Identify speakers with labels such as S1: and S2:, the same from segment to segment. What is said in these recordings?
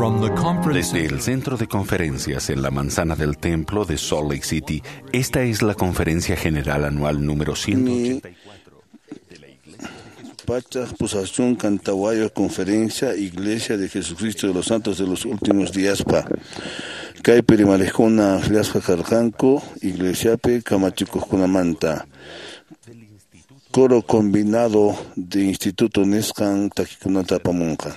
S1: Desde el Centro de Conferencias en la Manzana del Templo de Salt Lake City, esta es la Conferencia General Anual número 184 de la Iglesia de Jesucristo.
S2: Pachaj Pusachunkan Tawayo Conferencia Iglesia de Jesucristo de los Santos de los Últimos Días pa. Kaypi rimarikuna akllasqa karqanku iglesiapi kamachikuqkunamanta. Coro combinado de instituto nisqan takikunata apamunqa.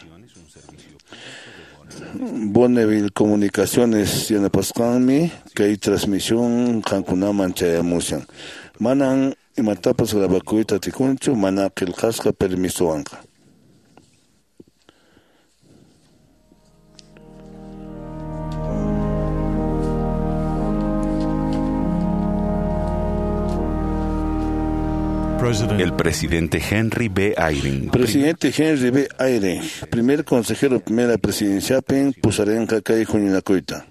S2: Bonneville Comunicaciones yanapasqanmi kay transmisión qankunaman chayamushan. Manan imatapas grabakuyta atikunchu mana qillqasqa permisowanqa.
S1: El presidente Henry B. Eyring.
S2: Presidente Henry B. Eyring, primer consejero primera presidenciapin pusarinqa kay huñunakuyta.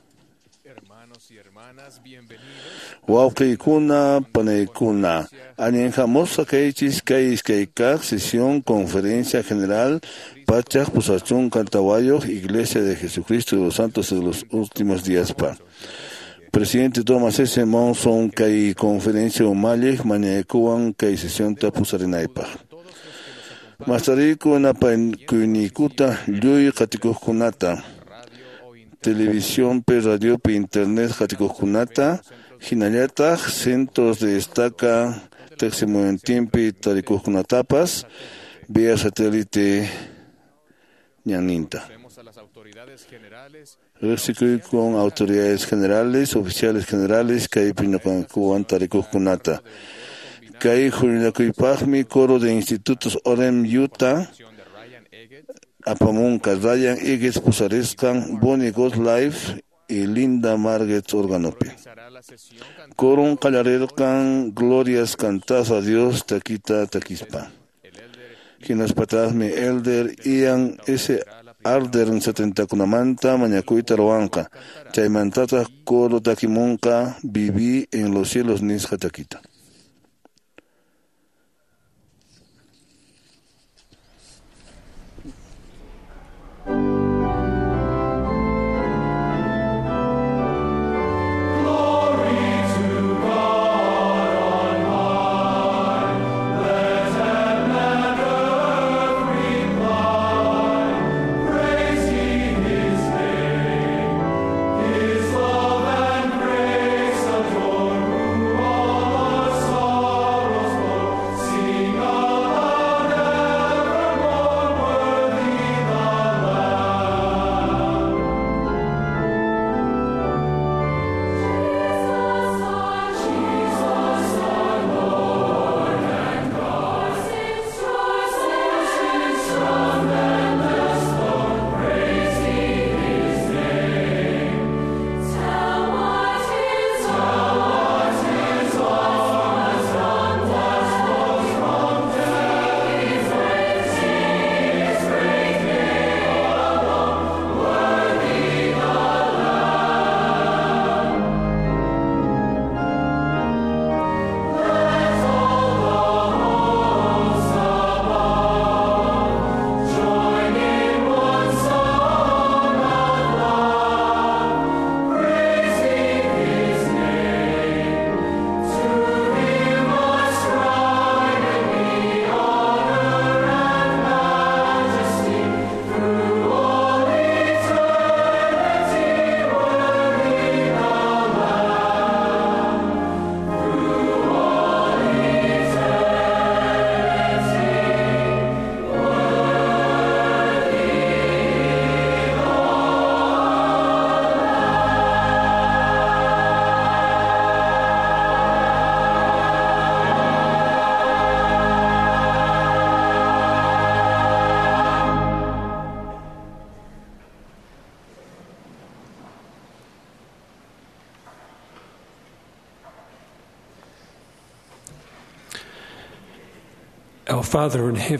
S2: Wawqiykuna, panaykuna, allin hamusqa kaychis kay iskay kaq sesión conferencia general pachaq pusachunka tawayuq Iglesia de Jesucristo de los Santos de los Últimos Días pa. Presidente Thomas S. Monson kay conferencia umalliq mañaykuwan kay sesionta pusarinaypaq. Mastariku napaykuyninkuta lluy qatikuqkunata, televisionpi, radiopi, internet qatikuqkunata, hinallataq centros de estaca teqsimuyuntinpi tarikuqkunatapas vía satélite ñanninta. Riqsikuy con autoridades generales, oficiales generales, kaypi ñuqankuwan tarikuqkunata. Kay huñunakuypaqmi coro de institutos Orem Utah apamunqa Ryan Eggers pusarisqan Bonnie Life y Linda Margetts organopi. Coron qallarirqan Glorias Cantad a Dios takita takispa. Hinaspataqmi Elder Ian S. Ardern 70kunamanta mañakuyta ruwanqa. Chaymantataq coro takimunqa Viví en los cielos nisqa takita.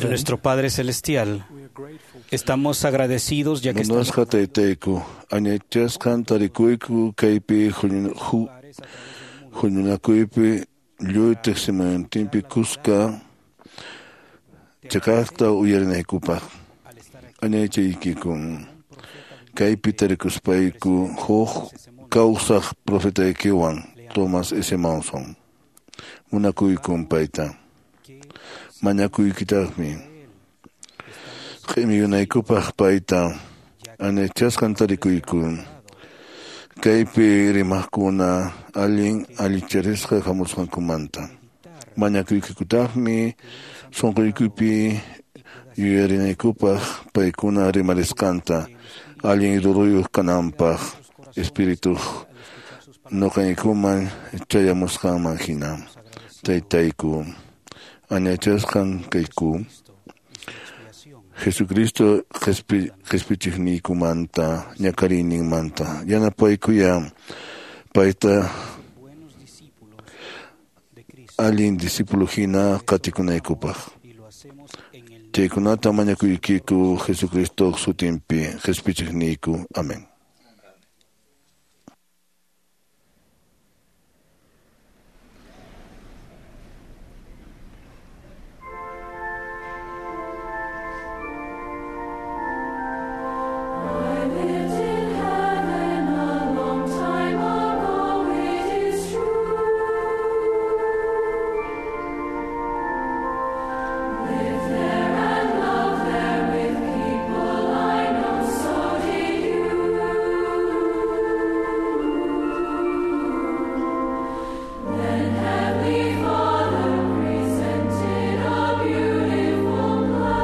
S3: Nuestro Padre Celestial, estamos agradecidos ya que estamos
S2: Munasqa taytayku, añaychasqan tarikuyku kaypi huñunakuypi lluy teqsimuyuntinpi kuska chakaqta uyarinaykupaq. Añaychaykikun. Kaypi tarikuspayku huk kawsaq profetaykiwan Thomas S. Monson. Munakuykum payta. Mañakuykitaqmi. Q'imiyunaykupaq payta anachasqan tarikuyku. Kaypi rimaqkuna allin allicharisqa hamusqankumanta. Mañakuykikutaqmi sunquykupi yuyarinaykupaq paykuna rimarisqanta allin ruruyuq kananpaq espirituq ñuqaykuman chayamusqanman hina. Taytayku añachasqan kayku Jesucristo qhispichiqniykumanta ñakariyninmanta yanapaykuya payta allin discípulo hina qatikunaykupaq. Chaykunata mañakuykiku Jesucristo sutinpi qhispichiqniyku. Amén.
S4: I lived in heaven a long time ago, it is true. Lived there and loved there with people I know, so did you. Then Heavenly Father presented a beautiful plan.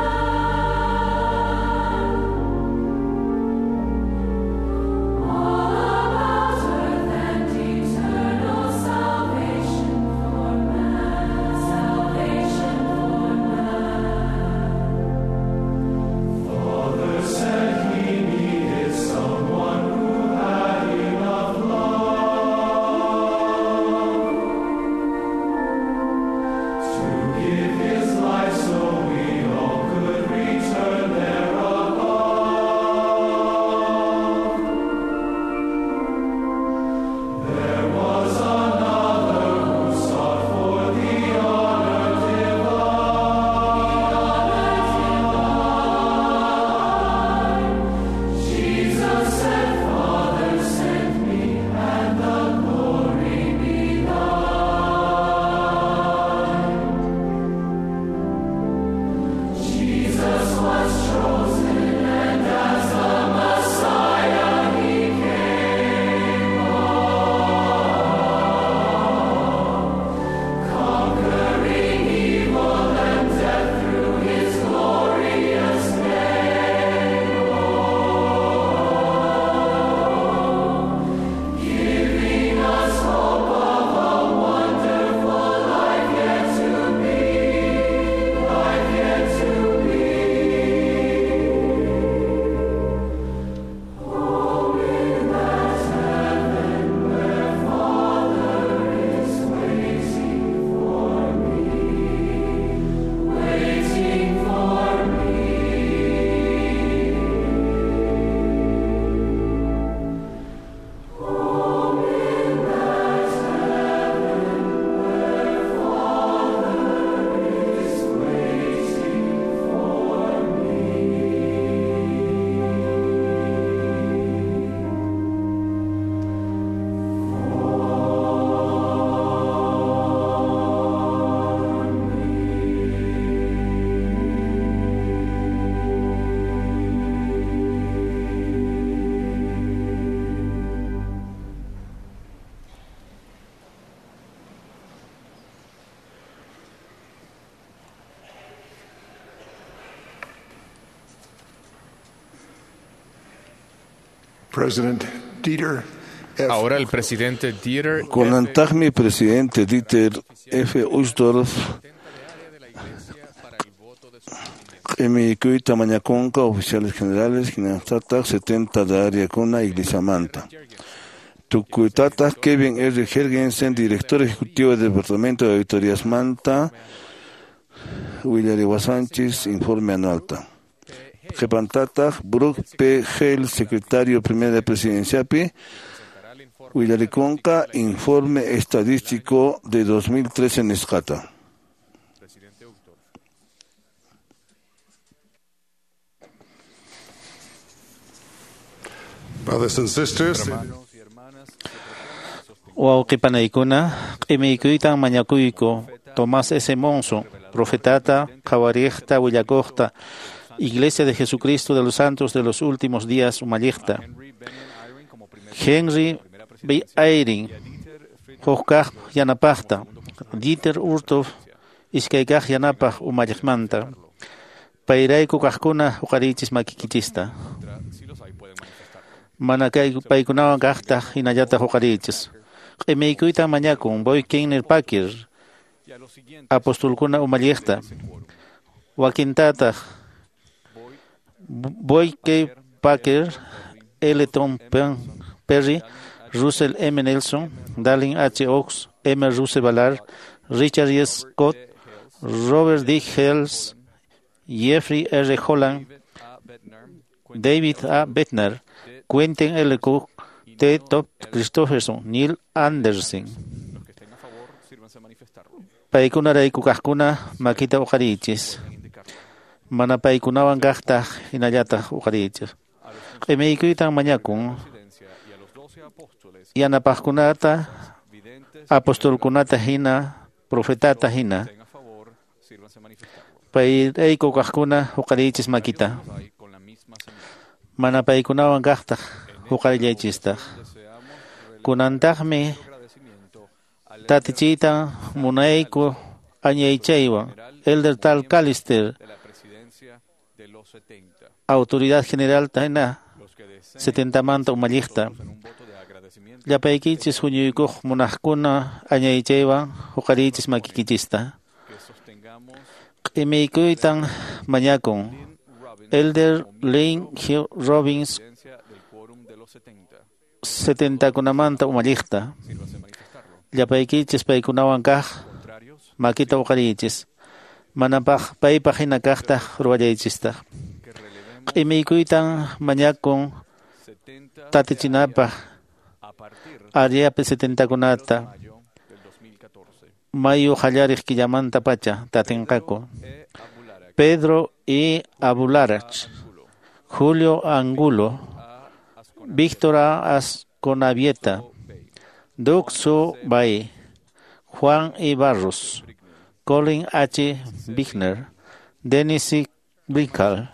S4: All about earth and eternal salvation for man, salvation for man.
S5: Father said he needed someone who had enough love to give his life so we all could return there above. There was another who sought for the honor divine.
S4: Jesus said, Father, send me, and the glory be thine. Jesus was chosen, and as the Messiah he came on, conquering evil and death through his glorious name. Giving us hope of a wonderful life yet to be, life yet to be. Home in that heaven where Father is waiting for me, waiting for me. Home in that heaven where Father is waiting for me.
S6: President Dieter F.
S7: Ahora el presidente Dieter F.
S2: Kunantaqmi presidente Dieter F. Uchtdorf q'imiykuyta mañakunqa oficiales generales hinallataq 70 de áreakuna iglesiamanta. Tukuytataq Kevin R. Jergensen, director ejecutivo del Departamento de Auditoríasmanta, willariwasanchis informe anualta. Qhipantataq Brooke P. Hale, secretario primera de Presidenciapi, willarikunqa informe estadístico de 2013 nisqata.
S7: Presidente Uchtdorf.
S6: Brothers and sisters,
S8: Wawqipanaykuna q'imiykuytan mañakuyku Tomás S. Monson, profetata, qhawariqta, willakuqta, Iglesia de Jesucristo de los Santos de los Últimos Días umalliqta. Henry B. Eyring, hukkaq yanapaqta, Dieter Uchtdorf, iskaykaq yanapaq umalliqmanta. Payrayku kaqkuna huqariychis makikichista. Mana kay paykunawan kaqtaq hinallataq huqariychis. Q'imiykuytan mañakun Boy Kenner Packer, apostolkuna umalliqta. Wakintataq Boy K. Packer, L. Tom Perry, Russell M. Nelson, Dallin H. Oaks, M. Russell Ballard, Richard E. Scott, Robert D. Hales, Jeffrey R. Holland, David A. Bednar, Quentin L. Cook, T. Top Christopherson, Neil Anderson. Paykunarayku kaqkuna makita uqariychis. Mana paykunawan kaqtaq hinallataq uqariychis. Q'imiykuytan mañakun yanapaqkunata, apostolkunata hina, profetata hina. Payrayku kaqkuna huqariychis makita. Mana paykunawan kaqtaq huqarillaychistaq. Kunantaqmi tatichiytan munayku añaychaywan Elder Tal Callister, Autoridad General hina 70manta umalliqta. Llapaykichis huñuykuq munaqkuna añaychaywan huqariychis makikichista. Q'imiykuytan mañakun Elder Lynn G. Robbins 70kunamanta umalliqta. Llapaykichis paykunawan kaq makita uqariychis. Manapaq paypaq hina kaqtaq ruwallaychistaq. Q'imiykuytan mañakun tatichinapaq ariapi 70kunata mayu qallariq killamanta pacha tatinqaku. Pedro E. Abularach, Julio Angulo, Víctor A. Asconavieta, Duc Su Bay, Juan E. Barros, Colin H. Bichner, Dennis C. Brinkal,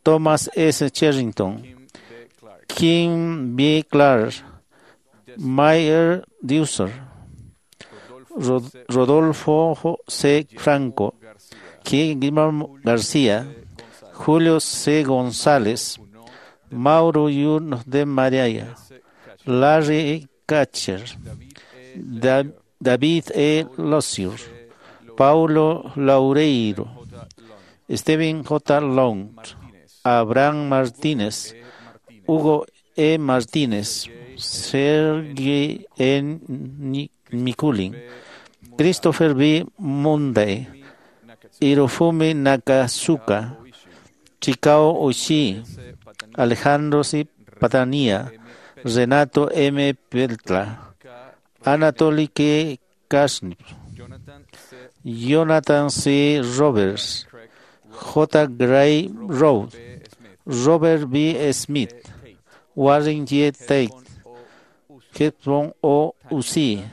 S8: Thomas S. Cherrington, Kim B. Clark, Meyer Deuser, Rodolfo C. Franco, Guillermo García, Julio C. González, Mauro Yun de María, Larry Catcher, David E. Lozier, Paulo Laureiro, Steven J. Long, Abraham Martínez, Hugo E. Martínez, Sergei N. Mikulin, Christopher B. Munday, Hirofumi Nakasuka, Chikao Oshii, Alejandro C. Patania, Renato M. Peltla, Anatoly K. Kasnip, Jonathan C. Roberts, J. Gray Road, Robert B. Smith, Warren G. Tate, Hepburn O. Uzi,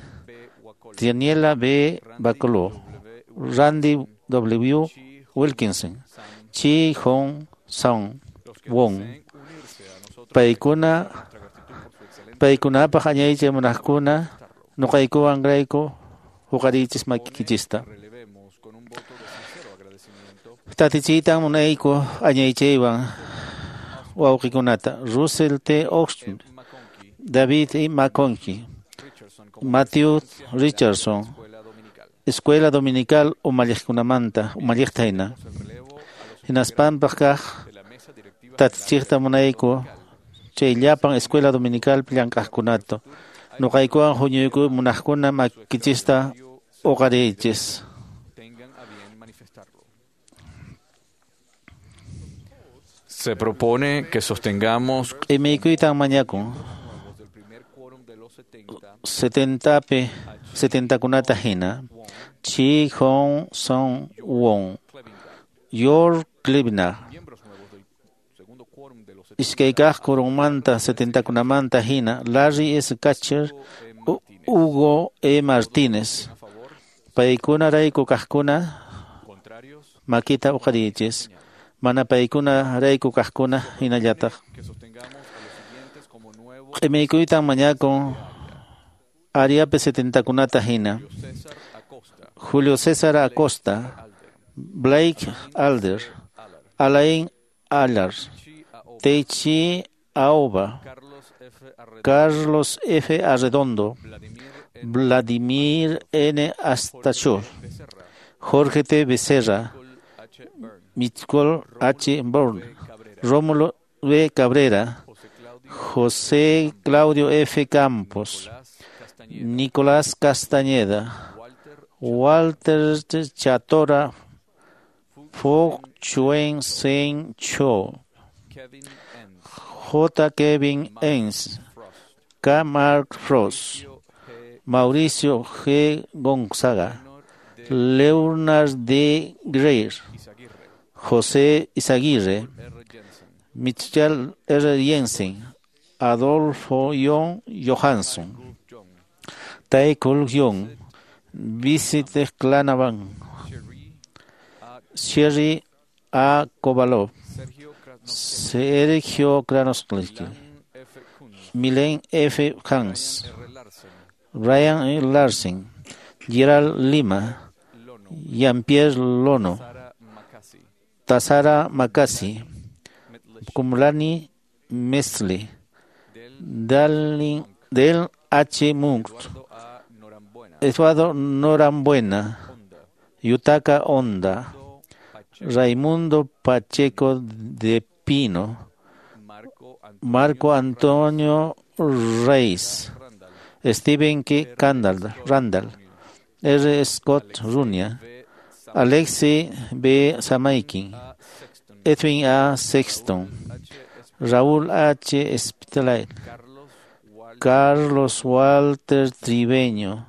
S8: Daniela B. Bacolo, Randy W. Wilkinson, Chi Hong Song Wong. Paykuna paykunapaq añaychay munaqkuna nuqaykuwan rayku huqariychis makikichista. Tatichiytan munayku añaychaywan wawqikunata Russell T. Oxton, David E. McConkie, Matthew Richardson, Escuela Dominical umalliqkunamanta umalliqta hina. Hinaspanpaq kaq tatichiqta munayku chay llapan Escuela Dominical llank'aqkunata. Nuqaykuwan huñuyku munaqkuna makikichista uqariychis.
S7: Se propone que sostengamos
S8: Q'imiykuytan mañakun 70pi 70kunata hina Chi Hong Song Won, York Klibner, Iskay kaq quorunmanta 70kunamanta hina Larry S. Catcher, Hugo E. Martínez. Paykunarayku kaqkuna makita uqariychis. Mana paykunarayku kaqkuna hinallataq. Q'imiykuytan mañakun Ariapi 70kunata hina. Julio César Acosta, Blake Alder, Alain Allard, Teichi Aoba, Carlos F. Arredondo, Vladimir N. Astachur, Jorge T. Becerra, Michael H. Bourne, Rómulo B. Cabrera, José Claudio F. Campos, Nicolás Castañeda, Walter Chatora, Fok Chuen Sen Cho, J. Kevin Enns, K. Mark Frost, Mauricio G. Gonzaga, Leonard D. Greer, José Izaguirre, Michel R. Jensen, Adolfo John Johansson, Tae Kul Young, Visite Clanavan, Sherry A. Kovalov, Sergio Kranosky, Milen F. Hans, Ryan E. Larsen, Gerald Lima, Jean-Pierre Lono, Tazara Makasi, Kumlani Mesli, Del H. Munk, Eduardo Norambuena, Yutaka Honda, Raimundo Pacheco de Pino, Marco Antonio Reis, Stephen K. Randall, R. Scott Runia, Alexei B. Samaikin, Edwin A. Sexton, Raúl H. Spitalier, Carlos Walter Triveño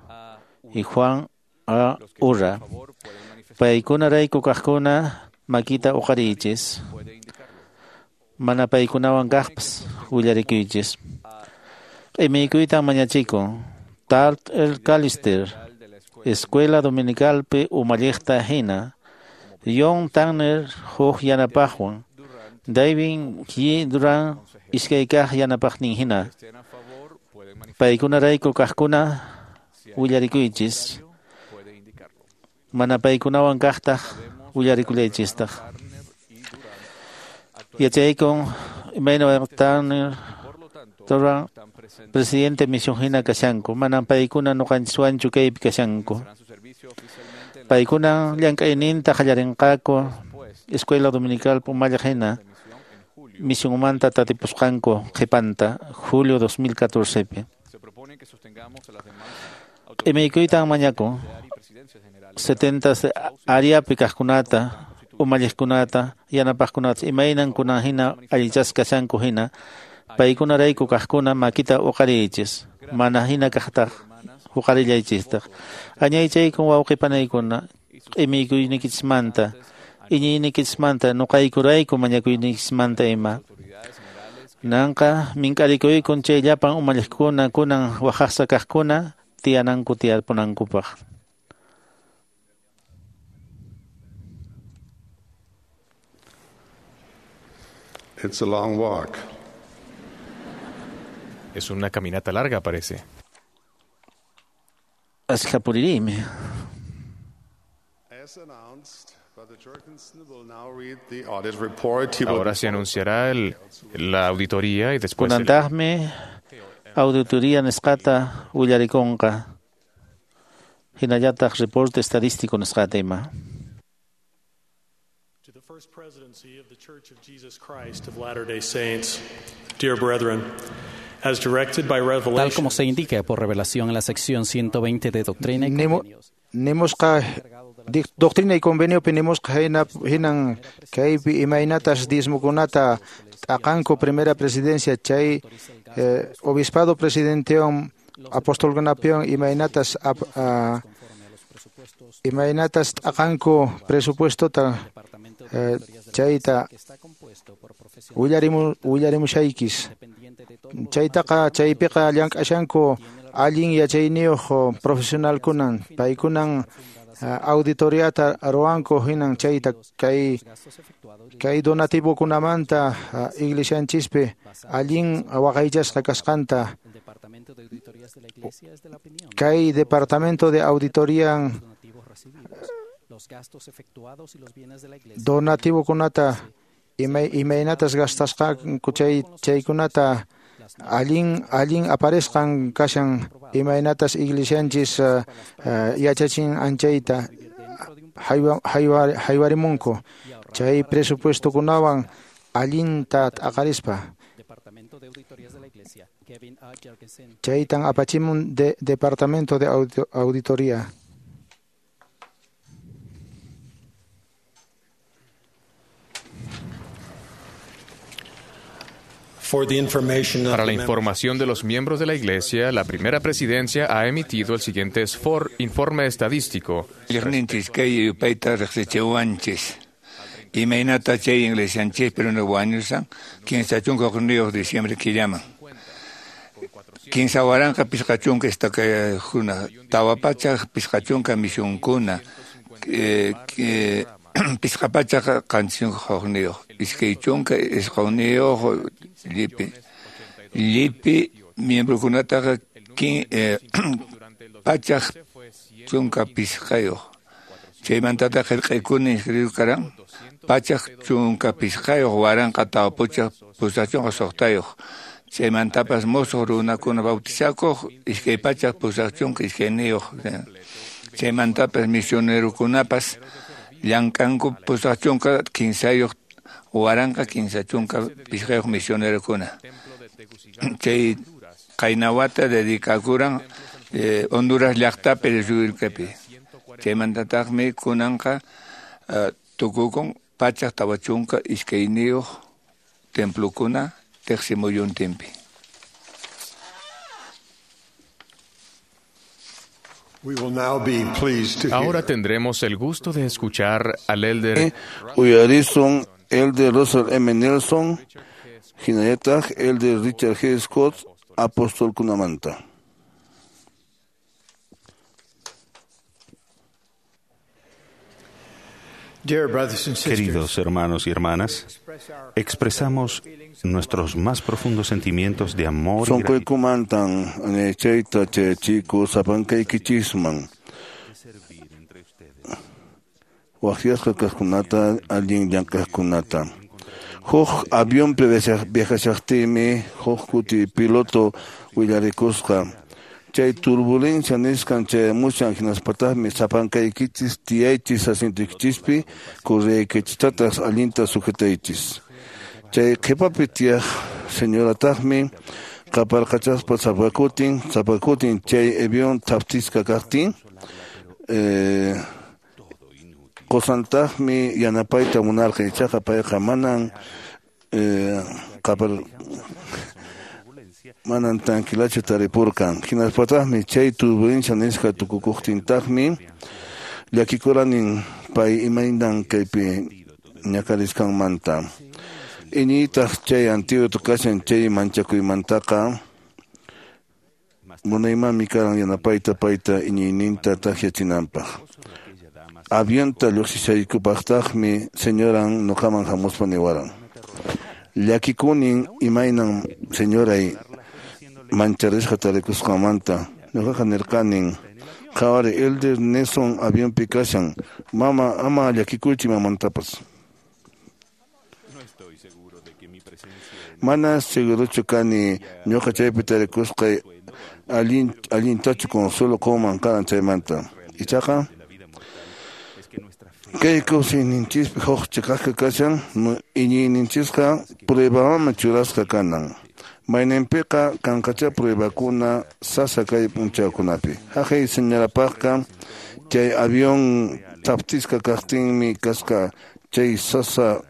S8: y Juan A. Urra. Paykunarayku kaqkuna makita uqariychis. Mana paykunawan kaqpas willarikuychis. Q'imiykuytan mañachikun. Tart El Calister, Escuela Dominicalpi umalliqta hina. John Tanner huk yanapaqwan. David G. Duran iskay kaq yanapaqnin hina. Paykunarayku kaqkuna willarikuychis. Mana paykunawan kaqtaq willarikullaychistaq. Yachaykun imayna Tanner Duran presidente misión hina kashanku. Manan paykuna nuqanchiswanchu kaypi kashanku. Paykuna llank'ayninta qallarinqaku Escuela Dominical umalliq hina misionmanta tatipusqanku qhipanta julio 2014pi. Q'imiykuytan mañakun 70 ariapi kaqkunata umalliqkunata yanapaqkunata imaynan kunan hina allichasqa kashanku hina paykunarayku kaqkuna makita uqariychis mana hina kaqtaq uqarillaychistaq. Añaychaykun wawqi panaykuna q'imiykuyniykichikmanta iñiyniykichismanta nuqaykurayku mañakuyniykichismanta ima. Nanqa mink'arikuykun chay llapan umalliqkuna kunan waqhasqa kaqkuna tiyananku tiyarpunankupaq.
S6: It's a long walk.
S7: Es una caminata larga, parece.
S8: Ashka puririymi.
S6: As announced, Brother Jorgensen will now read the audit report. He will
S7: Ahora se anunciará la auditoría y después el,
S8: Kunantaqmi auditoría nisqata willarikunqa. Hinallataq reporte estadístico nisqata ima.
S5: To the First Presidency of the Church of Jesus Christ of Latter-day Saints, dear brethren, as directed by
S3: Tal
S5: Revelation,
S3: como se indica por revelación en la sección 120 de Doctrina y Convenios.
S9: Nimusqa doctrina y convenio nimusqa hinan kaypi imaynatas diezmokunata t'aqanku primera presidencia chay obispado presidentewan apostolkunapiwan imaynatas imaynatas t'aqanku presupuestota chayta willarimushaykis. Chaytaqa chaypiqa llank'ashanku allin yachayniyuq profesionalkunan, paykunan auditoriata ruwanku hinan chayta kay donativokunamanta iglesianchispi allin waqaychasqa kasqanta. Kay departamento de auditoría donativokunata imaynatas gastasqanku chaykunata allin aparesqan kashan imaynatas iglesianchis yachachin anchayta haywarimunku chay presupuestokunawan allinta t'aqarispa. Chaytan apachimun de departamento de auditoría.
S7: Para la información de los miembros de la Iglesia, la primera presidencia ha emitido el siguiente informe estadístico.
S10: Imaynata chay iglesianchis pero wañusan 15 diciembre killaman. Kinsa waranqa pisqa chunka istakuna tawa pachak pisqa chunka misionkuna pisqa pachak qanchis hukniyuq iskay chunka isquniyuq llipi miembrokunataqa pachak chunka pisqayuq chaymantataq qillqaykuna inscrito karan pachak chunka pisqayuq waranqa tawa puchaq pusaq chunka suqtayuq chaymantapas musuq runakuna bautizakuq iskay pachak pusaq chunka iskayniyuq chaymantapas misionerokunapas llank'anku pusaq chunka kinsayuq waranqa kinsa chunka pisqayuq misionerokuna chay qaynawata dedicakuran Honduras llaqtapi Rircapi chaymantataqmi kunanqa tukukun pachak tawa chunka iskayniyuq templokuna teqsimuyuntinpi.
S7: Ahora tendremos el gusto de escuchar al elder
S2: Uyarisun, elder Russell M. Nelson, hinallataq elder Richard G. Scott, apóstol kunamanta.
S1: Queridos hermanos y hermanas, expresamos nuestros más profundos sentimientos de amor y gratitud.
S2: Sonqoykumantan chayta chayachiku sapankaykinchisman waqyasqa kaqkunata allin llank'aqkunata. Huk avionpi viajashaqtiymi huk kuti piloto willarikusqa chay turbulencia nisqan chayamushan hinaspataqmi sapankaykichis tiyaychis asientoykichispi correaykichistataq allinta sujetaychis. Chay qhipapi tiyaq señorataqmi qaparqachaspa sapakutin chay avión thaptisqa kaqtin qusantaqmi yanapayta munarqan ichaqa payqa manan manan tranquilachu taripurqan. Hinaspataqmi chay turbulencia nisqa tukukuqtintaqmi llakikuranin pay imaynan kaypi ñakarisqanmanta. Iñiytaq chay antídoto kashan chay manchakuymantaqa munaymanmi karan yanapayta payta iñiyninta takyachinanpaq. Avionta lluqsishaykupaqtaqmi señoran nuqaman hamuspa niwaran. Llakikunin imaynan señoray mancharisqa tarikusqanmanta. Ñuqaqa nirqanin qhawari elder Nelson avionpi kashan mama ama llakikuychi mamantapas. Mana segurochu kani ñuqa chaypi tarikusqay allintachu consuelo qunman karan chaymanta. Ichaqa kay kawsayninchispi huk chiqaqqa kashan iñiyninchisqa pruebamanmi churasqa kanan. Mayninpiqa kanqachá pruebakuna sasa kay p'unchawkunapi. Haqay señorapaqqa chay avión thaptisqa kaqtinmi kasqa chay sasa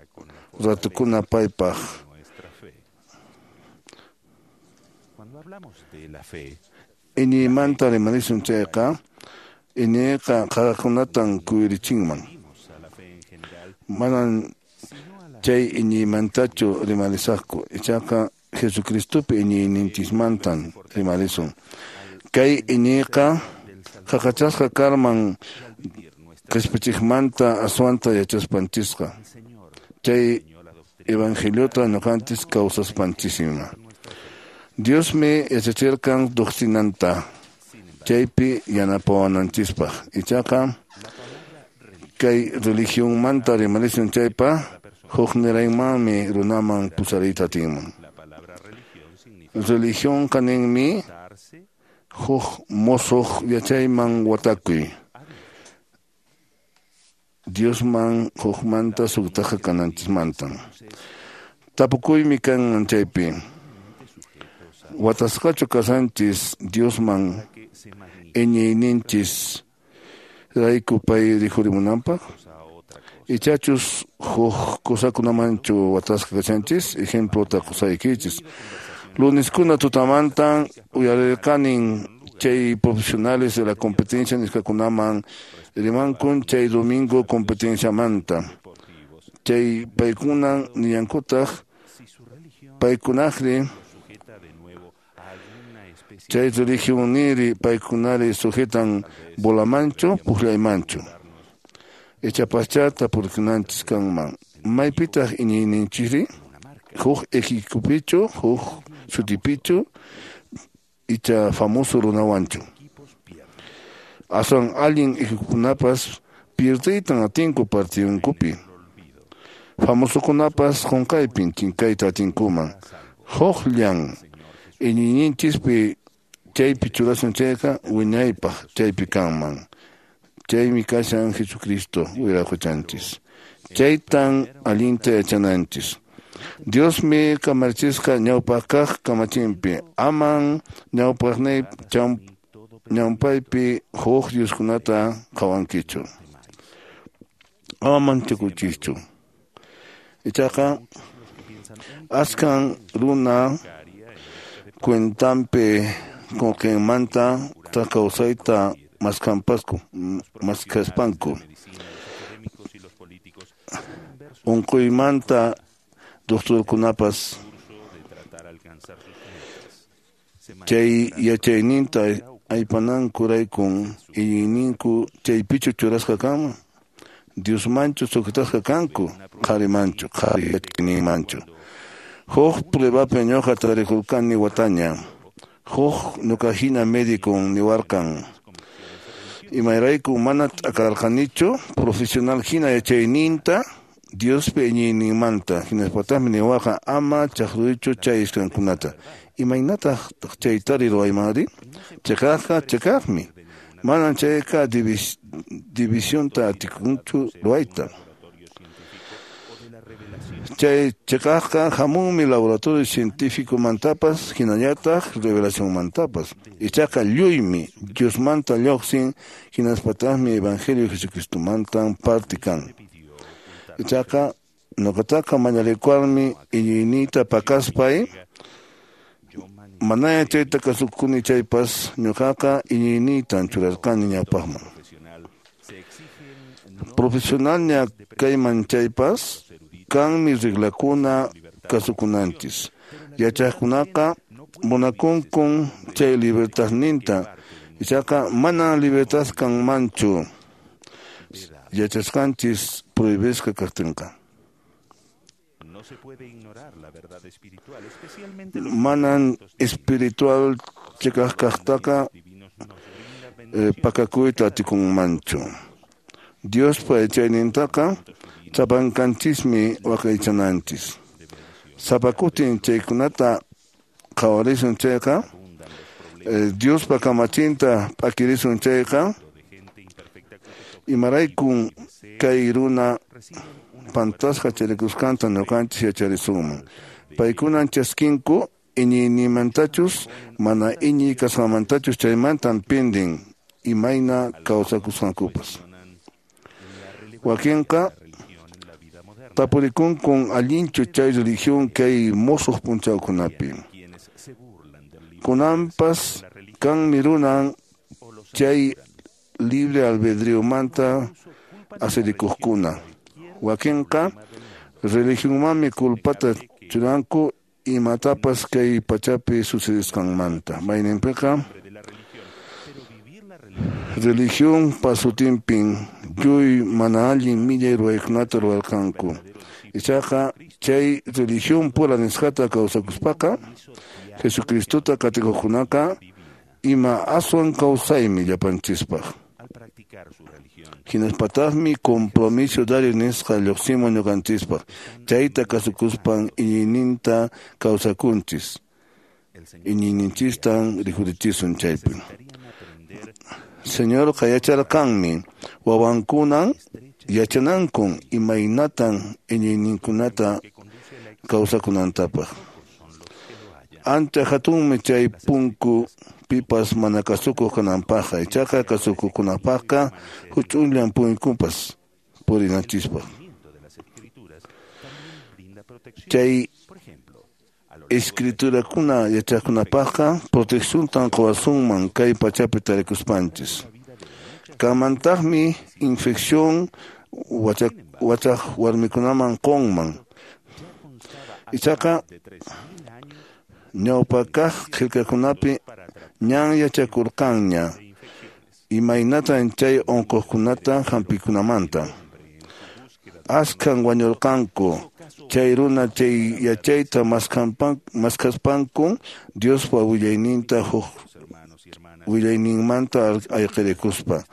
S2: ratukuna paypaq. Iñiymanta rimarisun chayqa iñiyqa qaqakunatan kuyurichinman. Manan chay iñiymantachu rimarisaqku, ichaqa Jesucristopi iñiyninchismantan rimarisun. Kay iñiyqa qaqachasqa karman qhispichiqmanta aswanta yachaspanchisqa. Chay evangeliota ñuqanchis kawsaspanchisima. Diosmi yachachirqan doctrinanta chaypi yanapawananchispaq. Ichaqa kay religionmanta rimarisun chaypa hukniraymanmi runaman pusariyta atinman. Religionqa ninmi huk musuq yachayman watakuy. Diosman hukmanta suktaqa kananchismantan. Tapukuymi kanman chaypi. Watasqachu kasanchis Diosman iñiyninchis rayku pay rikhurimunanpaq? Ichachus huk kusakunamanchu watasqa kashanchis? Ejemplota qusaykichis. Luneskuna tutamantan uyarirqanin chay profesionales de la competencia nisqakunaman rimankun chay domingo competenciamanta. Chay paykunan nillankutaq paykunaqri chay religionniri paykunari sujetan bolamanchu puqllaymanchu. Ichapaschá tapurkunanchis kanman. Maypitaq iñiyninchikri? Huk equipopichu, huk sutipichu, icha famoso runawanchu. Aswan allin equipokunapas pierdeytan atinku partidunkupi. Famosokunapas qunqaypin chinkayta atinkuman. Huqllan iñiyninchispi chaypi churasun chayqa wiñaypaq chaypi kanman. Chaymi kashan Jesucristo wiraqochanchis. Chaytan allinta yachananchis. Diosmi kamachisqa ñawpaq kaq kamachinpi. Aman ñawpaqnay ñawpaypi huk dioskunata qhawankichu. Ama manchakuchischu. Ichaqa askan runa cuentanpi qullqinmanta kawsayta maskaspanku. Unquymanta doctorkunapas chay yachayninta aypanankuraykum iñiyninku chaypichu churasqa kanman? Diosmanchu sujetasqa kanku? Qharimanchu, qhari yachayninmanchu. Huk pruebapi ñuqa tarikurqani wataña. Huk ñuqahina médico niwarqan. Imayrayku mana t'akarqanichu profesional hina yachayninta Diospi iñiyninmanta. Hinaspataqmi niwarqan ama chaqruychu chay iskankunata. Imaynataq chaytari ruwaymanri? Chiqaqqa chiqaqmi. Manan chayqa divisionta atikunchu ruwayta. Chay chiqaqqa hamunmi laboratorio científicomantapas hinallataq revelacionmantapas. Ichaqa lluymi Diosmanta lluqsin hinaspataqmi Evangelio Jesucristomantan parte kan. Ichaqa ñuqataqa mañarikuarmi iñiyniyta pakaspay manaña chayta kasukuni chaypas ñuqaqa iñiyniytan churarqani ñawpaqman. Profesionalña kayman chaypas kanmi reglakuna kasukunanchis. Yachaqkunaqa munakunkun chay libertadninta. Ichaqa mana libertad kanmanchu yachasqanchis prohibisqa kaqtinqa. Manan espiritual chiqaq kaqtaqa pakakuyta atikunmanchu. Diospa yachaynintaqa sapankanchismi waqaychananchis. Sapa kutin chaykunata qhawarisun chayqa, Diospa kamachinta p'akirisun chayqa, imaraykun kay runa pantasqa charikusqanta ñuqanchis yacharisunman. Paykunan chaskinku iñiynimantachus mana iñiy kasqanmantachus chaymantan pindin imayna kawsakusqankupas. Wakinqa tapurikunkun allinchu chay religión kay musuq p'unchawkunapi. Kunanpas kanmi runan chay libre albedriomanta asirikuqkuna. Wakinqa Religionmanmi culpata churanku imatapas kay pachapi sucedisqanmanta. Mayninpiqa religión pasutinpin lluy mana allin millay ruwaykunata ruwarqanku. Ichaqa chay religión pura nisqata kawsakuspaqa Jesucristota qatikuqkunaqa ima aswan kawsaymi llapanchispaq. Hinaspataqmi compromiso diario nisqa lluqsimun ñuqanchispaq. Chayta kasukuspan iñiyninta kawsakunchis. Iñiyninchistan rikhurichisun chaypi. Señorqa yacharqanmi wawankunan yachanankun imaynatan iñiyninkunata kawsakunantapaq. Ancha hatunmi chay punku pipas mana kasukuq kananpaqqa, ichaqa kasukuqkunapaqqa huch'uyllan punkupas purinanchispaq. Chay escriturakuna yachaqkunapaqqa protecciontan quwasunman kay pachapi tarikuspanchis. Kamantaqmi infección wachaq warmikunaman qunman. Ichaqa ñawpa kaq qillqakunapi ñan yachakurqanña imaynatan chay unquqkunata hampikunamanta. Askhan wañurqanku chay runa chay yachayta maskhaspanku Diospa willayninta huk willayninmanta ayqirikuspa.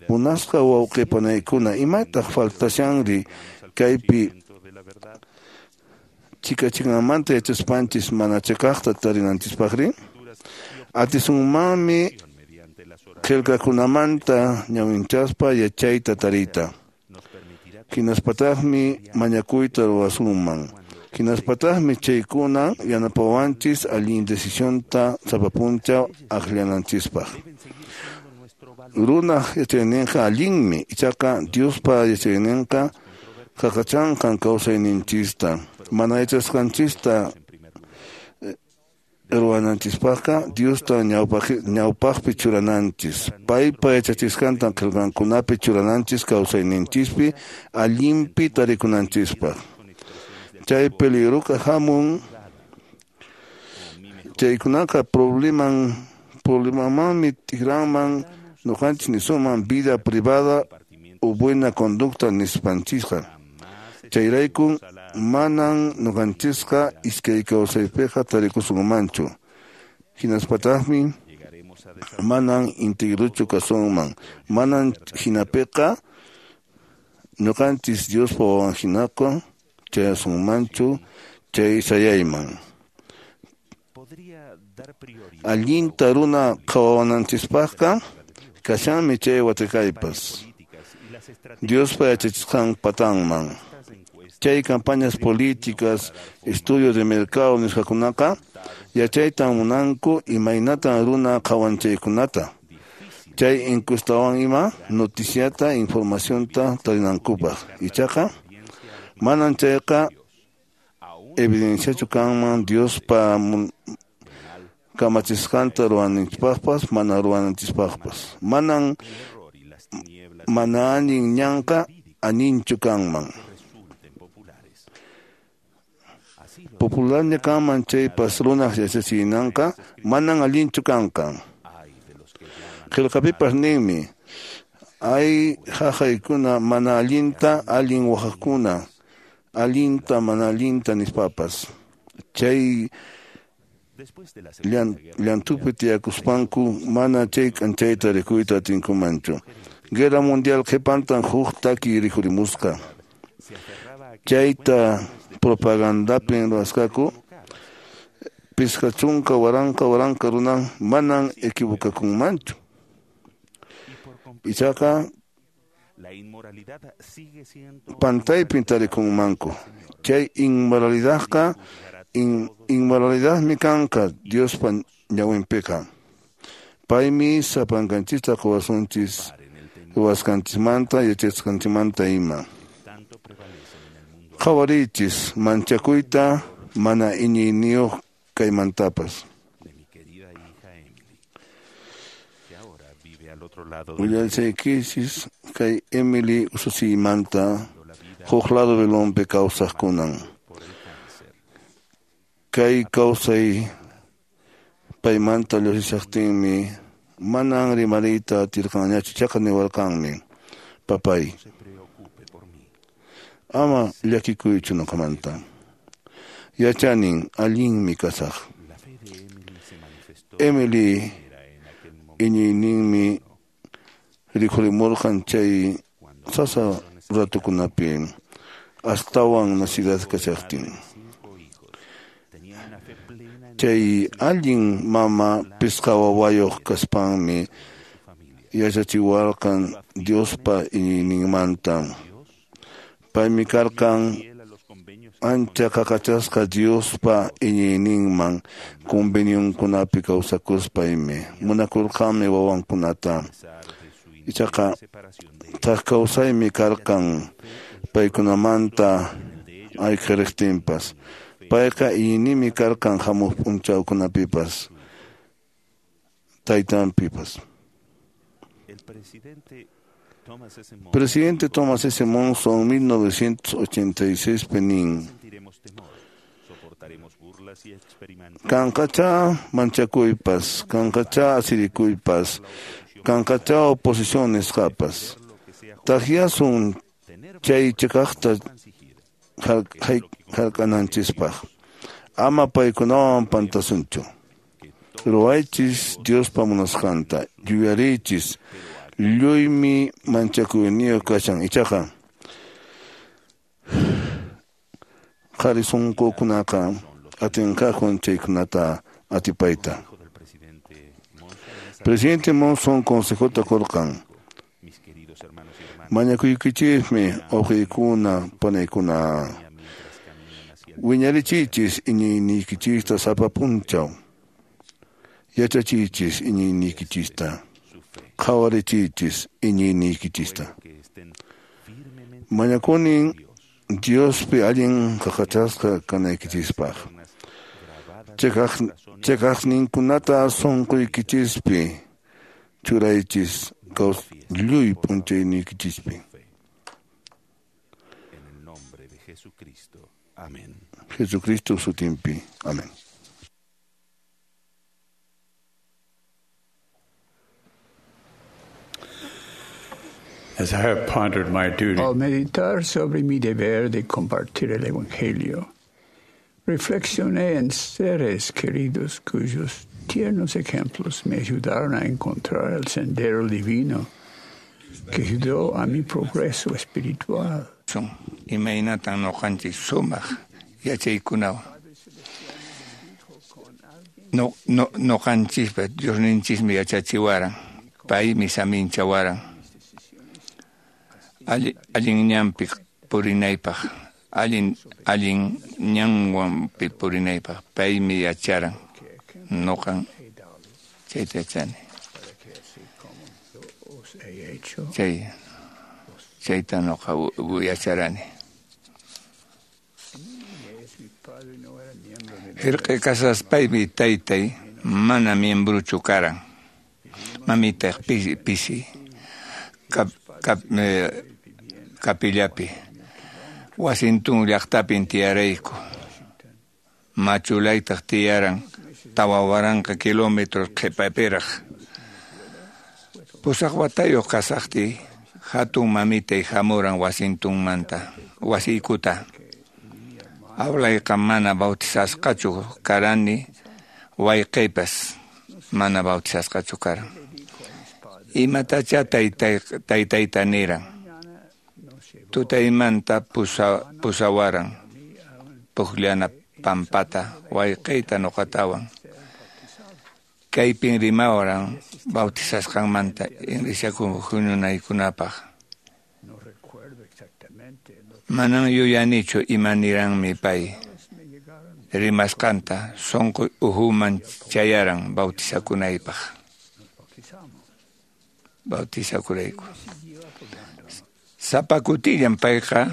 S2: Munasqa wawqi panaykuna, imataq faltashanri kaypi chikachinamanta yachaspanchis mana chiqaqta tarinanchispaqri? Atisunmanmi qillqakunamanta ñawinchaspa yachayta tariyta. Hinaspataqmi mañakuyta ruwasunman. Hinaspataqmi chaykuna yanapawanchis allin decisionta sapa punchaw akllananchispaq. Runaq yachayninqa allinmi, ichaqa Diospa yachayninqa qaqachanqan kawsayninchista. Mana yachasqanchista ruwananchispaqqa Diosta ñawpaqpi churananchis. Paypa yachachisqantan qillqankunapi churananchis kawsayninchispi allinpi tarikunanchispaq. Chay peligroqa hamun chaykunaqa problemamanmi tikranman ñuqanchis nisunman vida privada o buena conducta nispanchisqa. Chayraykun manan ñuqanchisqa iskay kawsaypiqa tarikusunmanchu. Hinaspataqmi manan integruchu kasunman. Manan hinapiqa ñuqanchis Diospa wawan hinaqa chayasunmanchu chay sayayman. Allinta runa qhawawananchispaqqa kashanmi chay watikaypas. Diospa yachachisqan patanman. Chay campañas políticas, estudios de mercado nisqakunaqa yachaytan munanku imaynatan runa qhawanchaykunata. Chay encuestawan ima noticiata, informacionta tarinankupaq. Ichaqa manan chayqa evidenciachu kanman Diospa kamachisqanta ruwananchispaqpas mana ruwananchispaqpas. Manan mana allin ñanqa allinchu kanman. Popularña kanman chaypas runaq yachachinanqa manan allinchu kanqa. Qillqapipas ninmi ay haqaykuna mana allinta allin waqaqkuna allinta mana allinta nispapas. Chay llantupi tiyakuspanku mana chay k'anchayta rikuyta atinkumanchu. Guerra Mundial qhipantan huk taki rikhurimusqa. Chayta propagandapin ruwasqaku 50 waranqa waranqa runan manan equivocakunmanchu. Ichaqa pantaypin tarikunmanku. Chay inmoralidadqa inmoralidadmi kanqa Diospa ñawinpiqa. Paymi sapankanchista quwasunchis ruwasqanchismanta yachasqanchikmanta ima. Qhawariychis manchakuyta mana iñiyniyuq kaymantapas. Willasaykichis kay Emily ususiymanta Huk lado Babilonpi kawsaqkunan. Kay kawsay paymanta lluqsishaqtinmi manan rimariyta atirqanñachu, ichaqa niwarqanmi: "Papay, ama llakikuychu ñuqamanta. Yachanin allinmi kasaq." Emily iñiyninmi rikhurimurqan chay sasa ratukunapi astawan nacidad kashaqtin. Chay allin mama pisqa wawayuq kaspanmi yachachiwarqan Diospa iñiyninmanta. Paymi karqan ancha qaqachasqa Diospa iñiyninman convenionkunapi kawsakuspaymi. Munakurqanmi wawankunata. Ichaqa thak kawsaymi karqan paykunamanta ayqiriqtinpas. Payqa iñinimi karqan hamuq p'unchawkunapipas, taytanpipas. Presidente Thomas S. Monson, 1986 nin: Kanqachá manchakuypas, kanqachá asirikuypas, kanqachá oposición nisqapas. Takyasun chay chiqaqta hark'ananchispaq. Ama paykunawan pantasunchu. Ruwaychis Diospa munasqanta, yuyariychis lluymi manchakuyniyuq kashan, ichaqa qhari sunqukunaqa atinqakun chaykunata atipayta. Presidente Monson consejota qurqan: Mañakuykichismi uqiykuna panaykuna, wiñarichiychis iñiyniykichista sapa p'unchaw, yachachiychis iñiyniykichista, qhawarichiychis iñiyniykichista. Mañakunin Diospi allin qaqachasqa kanaykichispaq. Chiqaqninkunata sunquykichispi churaychis lluy p'unchayniykichispi. Jesucristo sutinpi. Amén.
S11: As I have pondered my duty,
S10: Al meditar sobre mi deber de compartir el Evangelio, reflexioné en seres queridos cuyos tiernos ejemplos me ayudaron a encontrar el sendero divino que ayudó a mi progreso espiritual. Imaynatan ñuqanchik sumaq yachaykunawan. Ñuqanchikpa Diosninchikmi yachachiwaran, paymi saminchawaran. Allin ñanpi purinaypaq, allin ñanwanpi purinaypaq, paymi yacharan. Ñuqan chayta yachani. Chayta ñuqa yacharani. Irqi kasaspaymi taytay mana miembrochu karan. Mamitaq pisi kapillapi. Washington llaqtapin tiyarayku. Machulaytaq tiyaran 4000 kilómetros qhipapiraq. 8 watayuq kasaqtiy hatun mamitay hamuran Washingtonmanta wasiykuta. Awlayqa mana bautizasqachu karani, wayqiypas mana bautizasqachu karan. Imatachá taytayta niran. Tutaymanta pusawaran pukllana pampata wayqiyta ñuqatawan. Kaypin rimawaran bautizasqanmanta iglesia huñunaykunapaq. Manan yuyanichu ima niranmi pay rimasqanta sunqu uhuman chayaran bautizakunaypaq. Bautizakurayku. Sapa kutillan payqa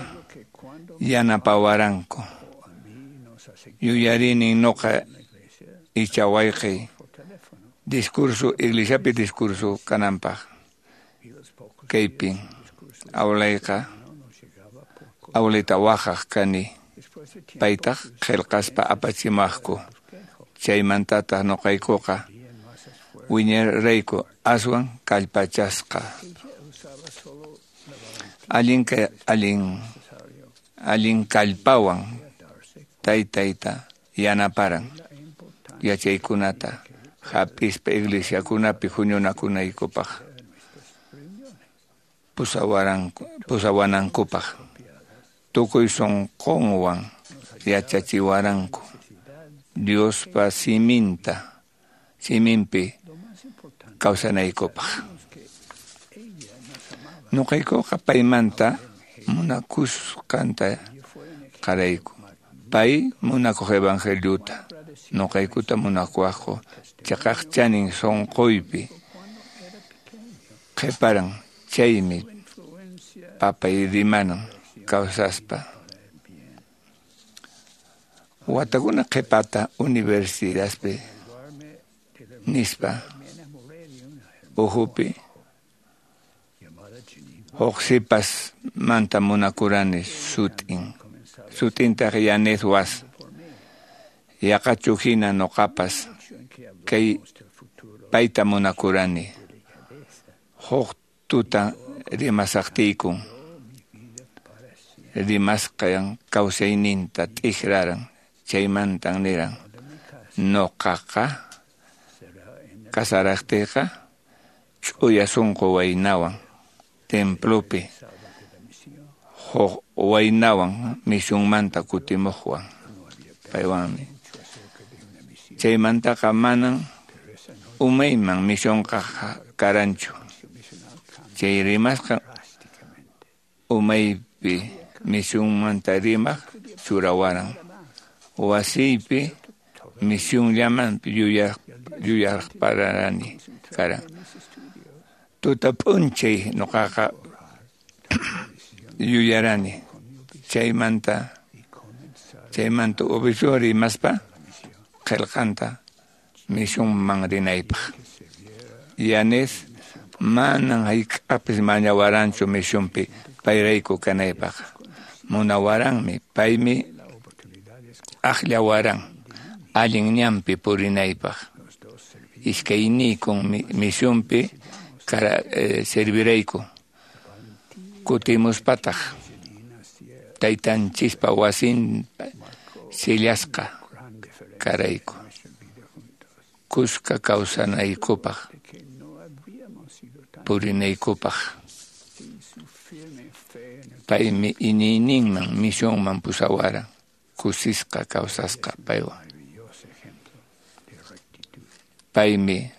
S10: yanapawaranku. Yuyarini ñuqa icha wayqiy discurso iglesiapi discurso kananpaq. Kaypin awlayqa
S12: Awlayta waqaq kani, paytaq qillqaspa apachimaqku. Chaymantataq nuqaykuqa wiñarayku aswan kallpachasqa. Allin kallpawan taytayta yanaparan yachaykunata hap'ispa iglesiakunapi huñunakunaykupaq pusawanankupaq tukuy sunqunwan yachachiwaranku Diospa siminpi kawsanaykupaq. Nuqaykuqa paymanta munakusqanta qarayku. Pay munakuq evangeliuta, nuqaykuta munakuwaqku chiqaq chanin sunquypi qhiparan. Chaymi papay rimanan kawsaspa. Watakuna qhipata universidadpi nispa uhupi huk sipasmanta munakurani sutin. Sutintaq Yanez Was. Yaqachu hina nuqapas kay payta munakurani. Huk tuta rimasaqtiykun rimasqan kawsayninta t'ikraran. Chaymantan niran nuqaqa kasaraqtiyqa ch'uya sunqu waynawan templopi huk waynawan misionmanta kutimuqwan paywanmi. Chaymantaqa manan umayman misionqa karanchu. Chay rimasqa umaypi misionmanta rimaq churawaran. Wasiypi misionllaman yuyarparani karan. Tuta p'unchay nuqaqa yuyarani. Chaymanta obispo rimaspa qillqanta misionman rinaypaq. Yanez manan hayk'apis mañawaranchu misionpi payrayku kanaypaq. Munawaranmi, paymi akllawaran allin ñanpi purinaypaq. Iskayniykun misionpi servirayku. Kutimuspataq taytanchispa wasinpa sillasqa karayku. Kuska kawsanaykupaq purinaykupaq. Paymi iñiyninman misionman pusawaran. Kusisqa kawsasqa paywan. Paymi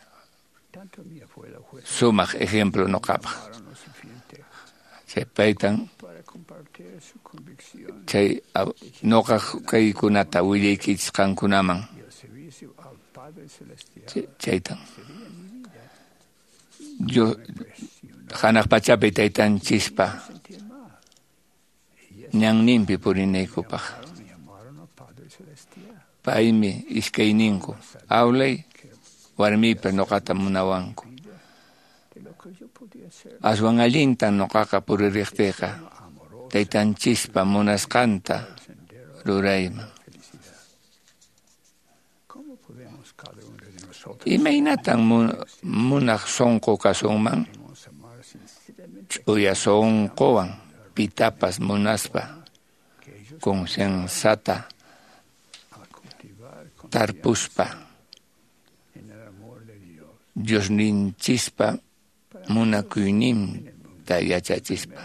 S12: sumaq ejemplo nuqapaq. Chay paytan chay nuqaq kaykunata willaykichis qankunaman. Chaytan Dios hanaq pachapi taytanchispa ñanninpi purinaykupaq. Paymi iskayninku awlay warmiypa nuqata munawanku. Aswan allintan nuqaqa puririqtiyqa taytanchispa munasqanta rurayman. Imaynatan munaq sunqu kasunman? Ch'uya sunquwan pitapas munaspa concienciata tarpuspa Diosninchispa munakuyninta yachachispa.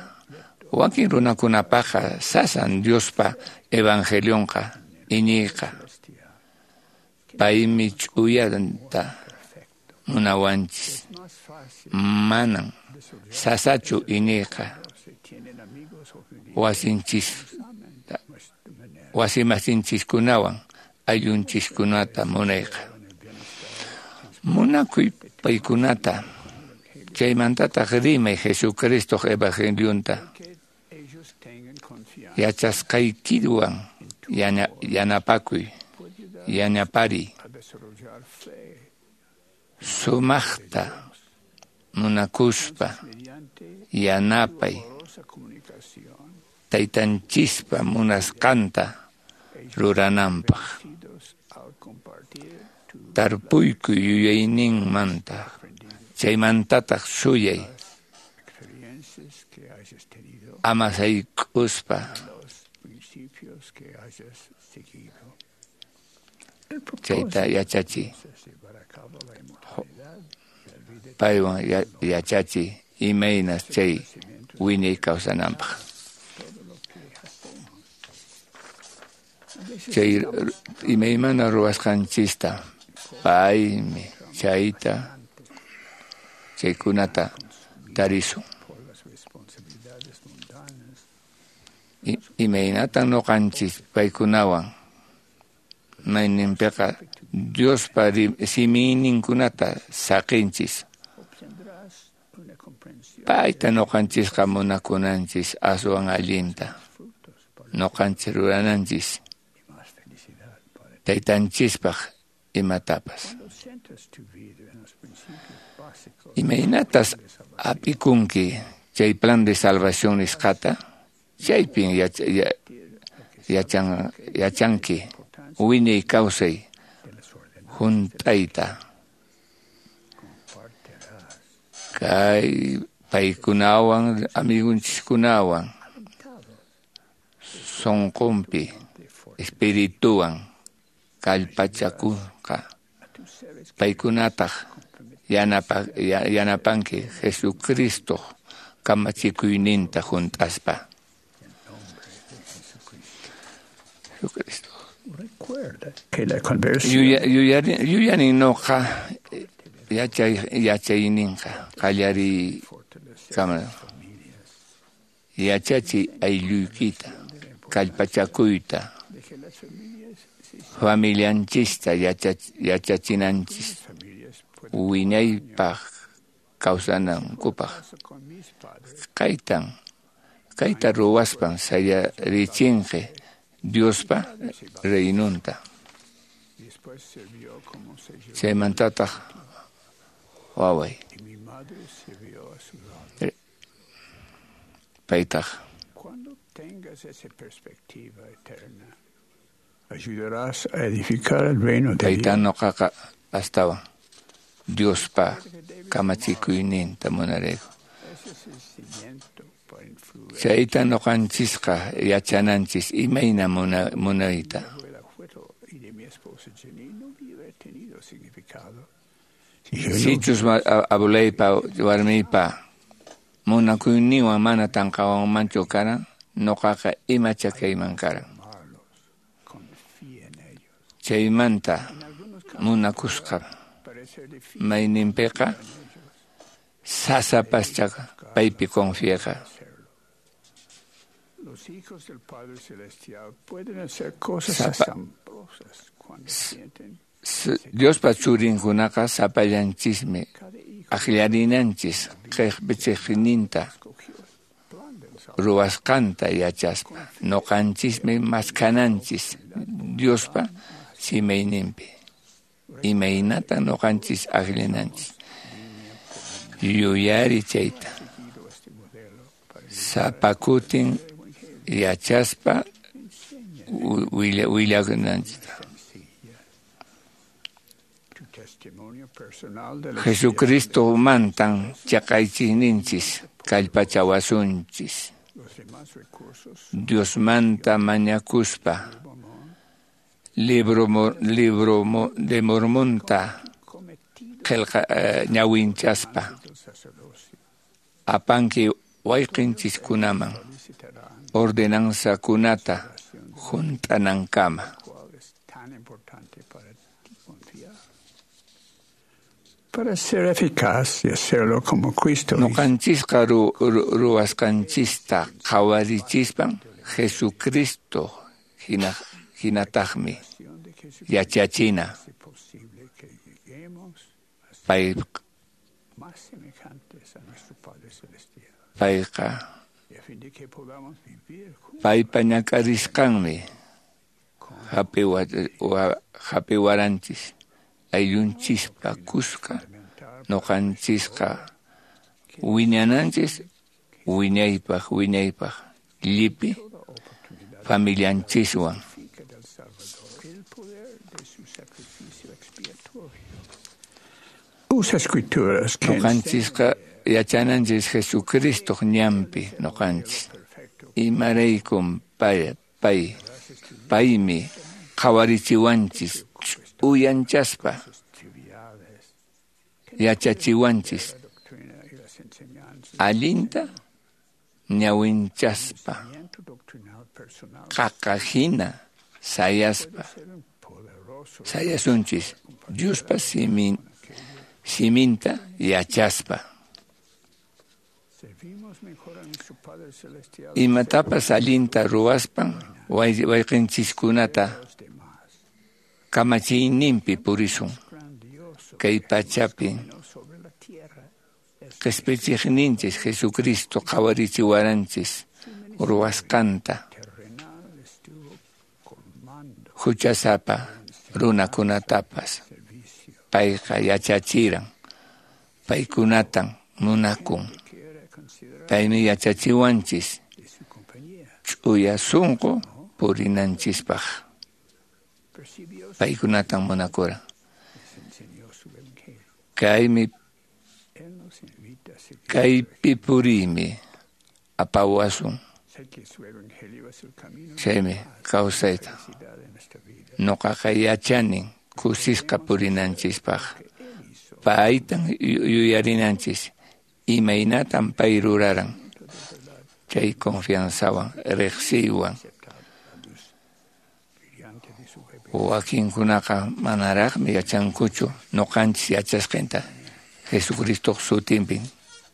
S12: Wakin runakunapaqqa sasan Diospa evangelionqa iñiyqa. Paymi ch'uyanta munawanchis. Manan sasachu iñiyqa. Wasimasinchiskunawan ayllunchiskunata munayqa. Munakuy paykunata. Chaymantataq rimay Jesucristoq evangelionta. Yachasqaykiwan yanapakuy, yanapariy. Sumaqta munakuspa yanapay. taytanchispa munasqanta rurananpaq. Tarpuykuy yuyayninmanta, chaymantataq suyay ama sayk'uspa. Chayta yachachiy. Paywan yachachiy imaynas chay wiñay kawsananpaq. Chay imaymana ruwasqanchista paymi chayta chaykunata tarisun. Imaynatan ñuqanchis paykunawan mayninpiqa Diospa simiyninkunata saqinchis. Payta ñuqanchisqa munakunanchis aswan allinta. Ñuqanchis rurananchis taytanchispaq imatapas. Imaynatas hap'ikunki chay plan de salvación nisqata? Chaypin yachanki wiñay kawsay hunt'ayta. Kay paykunawan amigunchiskunawan sunqunpi espirituwan kallpachakunqa. Paykunataq yanapanki Jesucristoq kamachikuyninta hunt'aspa. Jesucristo. Yuyarin noqa yachayninqa qallariy kama yachachiy aylluykita kallpachakuyta familianchista yachachinanchis wiñaypaq kawsanankupaq. Kayta ruwaspan sayarichinki Diospa reinunta. Chaymantataq waway paytaq tayta ñuqaqa astawan Diospa kamachikuyninta munarayku. Chayta ñuqanchisqa yachananchis imayna munayta. Sichus abuelaypa warmiypa munakuyninwan mana tanqawanmanchu karan, ñuqaqa imacha kayman karan. Chaymanta munakusqa mayninpiqa sasapascha paypi confiaqa. Diospa churinkunaqa sapallanchismi akllarinanchis qhispichiqninta ruwasqanta yachaspa. Ñuqanchismi maskhananchis Diospa simayninpi. Imaynata ñuqanchis akllananchis. Yuyari chayta. Sapa kutin yachaspa willakunanchista. Jesucristo mantan chaqaychikninchis kallpachawasunchis. Diosmanta mañakuspa libro de Mormonta qillqa ñawinchaspa apanki wayqinchiskunaman ordenanzakunata hunt'anankama.
S10: Para ser eficaz y hacerlo como Cristo.
S12: Ñuqanchisqa ruwasqanchista qhawarichispan Jesucristo hinataqmi yachachina. Payqa paypa ñak'arisqanmi hap'iwaranchis ayllunchispa kuska ñuqanchisqa wiñananchis wiñaypaq wiñaypaq Llipi familianchiswan. Noqanchisqa yachananchis Jesucristoq ñanpi noqanchis. Imaraykum paymi qhawarichiwanchis ch'uyanchaspa yachachiwanchis allinta ñawinchaspa qaqa hina sayaspa sayasunchis Diospa siminta yachaspa. Imatapas allinta ruwaspan wayqinchiskunata kamachiyninpi purisun. Kay pachapi qhispichiqninchis Jesucristo qhawarichiwaranchis ruwasqanta huchasapa runakunatapas payqa yachachiran, paykunatan munakun. Paymi yachachiwanchis ch'uya sunqu purinanchispaq. Paykunatan munakuran. Kaypi puriymi apawasun. Chaymi kawsayta. Noqaqa yachanin kusisqa purinanchispaq. Paytan yuyarinanchis imaynatan pay ruraran. Chay confianzawan, riqsiywan. Wakinkunaqa manaraqmi yachankuchu noqanchis yachasqanta Jesucristoq sutinpi.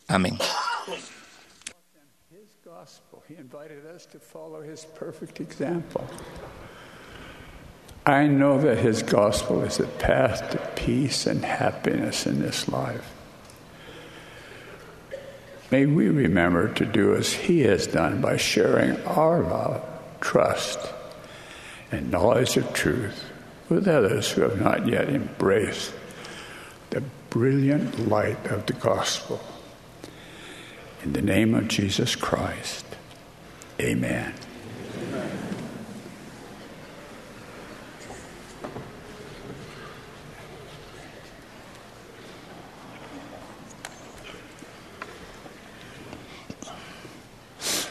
S12: Amén.
S10: He invited us to follow his perfect example. I know that his gospel is the path to peace and happiness in this life. May we remember to do as he has done by sharing our love, trust, and knowledge of truth with others who have not yet embraced the brilliant light of the gospel. In the name of Jesus Christ, amen.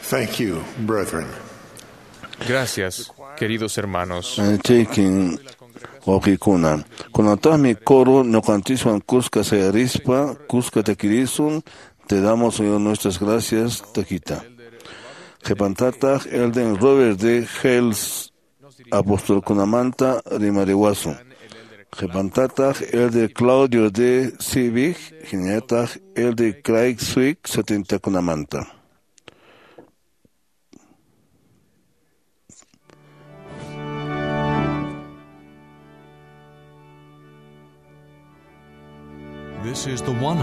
S13: Thank you, brethren.
S7: Gracias, queridos hermanos.
S2: Chaykin wawqikuna. Kunataqmi coro ñuqanchiswan kuska sayarispa, kuska takirisun, te damos, Señor, nuestras gracias, taquita. Qhipantataq Elden Robert de Hales apostolkunamanta rimariwasun. Qhipantataq Elder Claudio de Civic, hinallataq Elder Craig Swick setentakunamanta.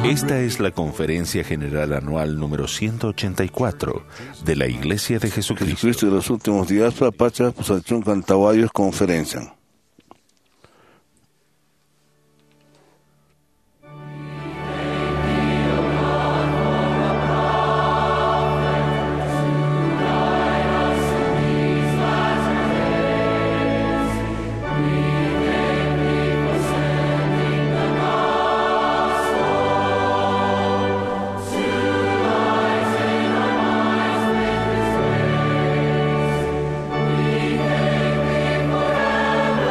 S1: Esta es la Conferencia General Anual número 184 de la Iglesia de Jesucristo.
S2: Jesucristo de los últimos días, Pacha, Pusachun, Cantahuayos, Conferencia.
S4: We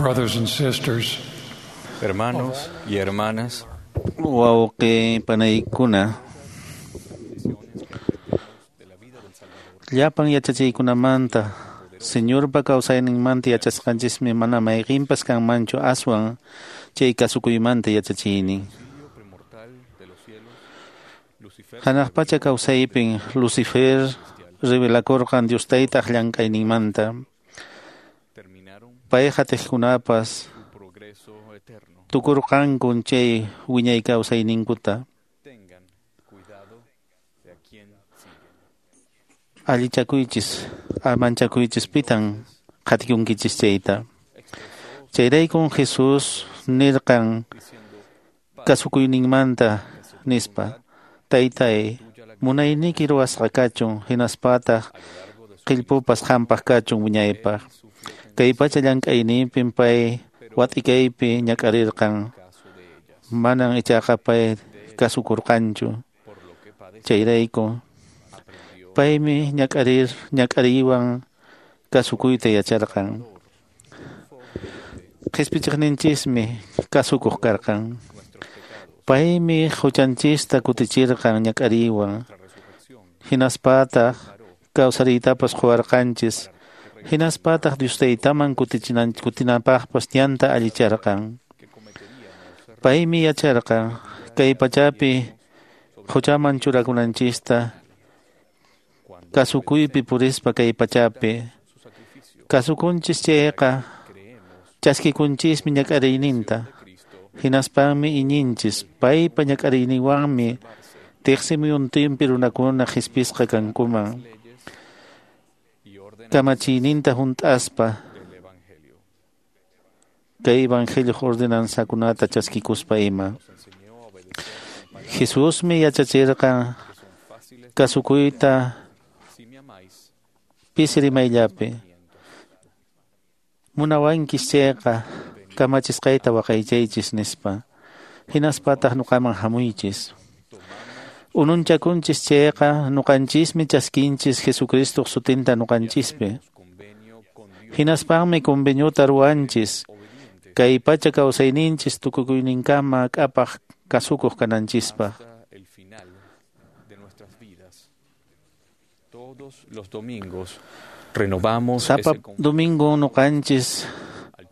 S11: Brothers and sisters,
S7: Hermanos y hermanas,
S8: Wawqi panaykuna, llapan yachachiykunamanta Señorpa kawsayninmanta yachasqanchismi mana mayqinpas kanmanchu aswan chay kasukuymanta yachachiynin. Hanaq pacha kawsaypin Lucifer revelakurqan Dios taytaq llank'ayninmanta. Pay qatiqkunapas tukurqankun chay wiñay kawsayninkuta. Allichakuychis, amanchakuychis pitan qatikunkichis chayta. Chayraykun Jesús nirqan kasukuyninmanta nispa, Taytay, munayniyki ruwasqa kachun, hinaspataq qillpupas qampaq kachun wiñaypaq. Kay pacha llank'ayninpin pay wat'ikaypi ñak'arirqan, manan ichaqa pay kasukurqanchu. Chayrayku paymi ñak'ariywan kasukuyta yacharqan. Qhispichiqninchismi kasukuq karqan. Paymi huchanchista kutichirqan ñak'ariywan. Hinaspataq kawsariytapas quwarqanchis. Hinaspataq Dios Taytaman kutinapaqpas ñanta allicharqan. Paymi yacharqan kay pachapi huchaman churakunanchista kasukuypi purispa kay pachapi. Kasukunchis chayqa chaskikunchismi ñak'ariyninta. Hinaspanmi iñinchis paypa ñak'ariyninwanmi tiqsimuyuntinpi runakuna qhispisqa kankuman. Kamachiyninta hunt'aspa kay evangelio ordenanzakunata chaskikuspa ima. Jesusmi yachachirqan kasukuyta pisi rimayllapi. Munawankis chayqa kamachisqayta waqaychaychis nispa. Hinaspataq nuqaman hamuychis. Ununchakunchis chayqa nuqanchismi chaskinchis Jesucristoq sutinta nuqanchispi. Hinaspanmi conveniota ruwanchis kay pacha kawsayninchis tukukuyninkama k'apaq kasukuq kananchispaq.
S7: Todos los domingos renovamos
S8: Sapa domingo nuqanchis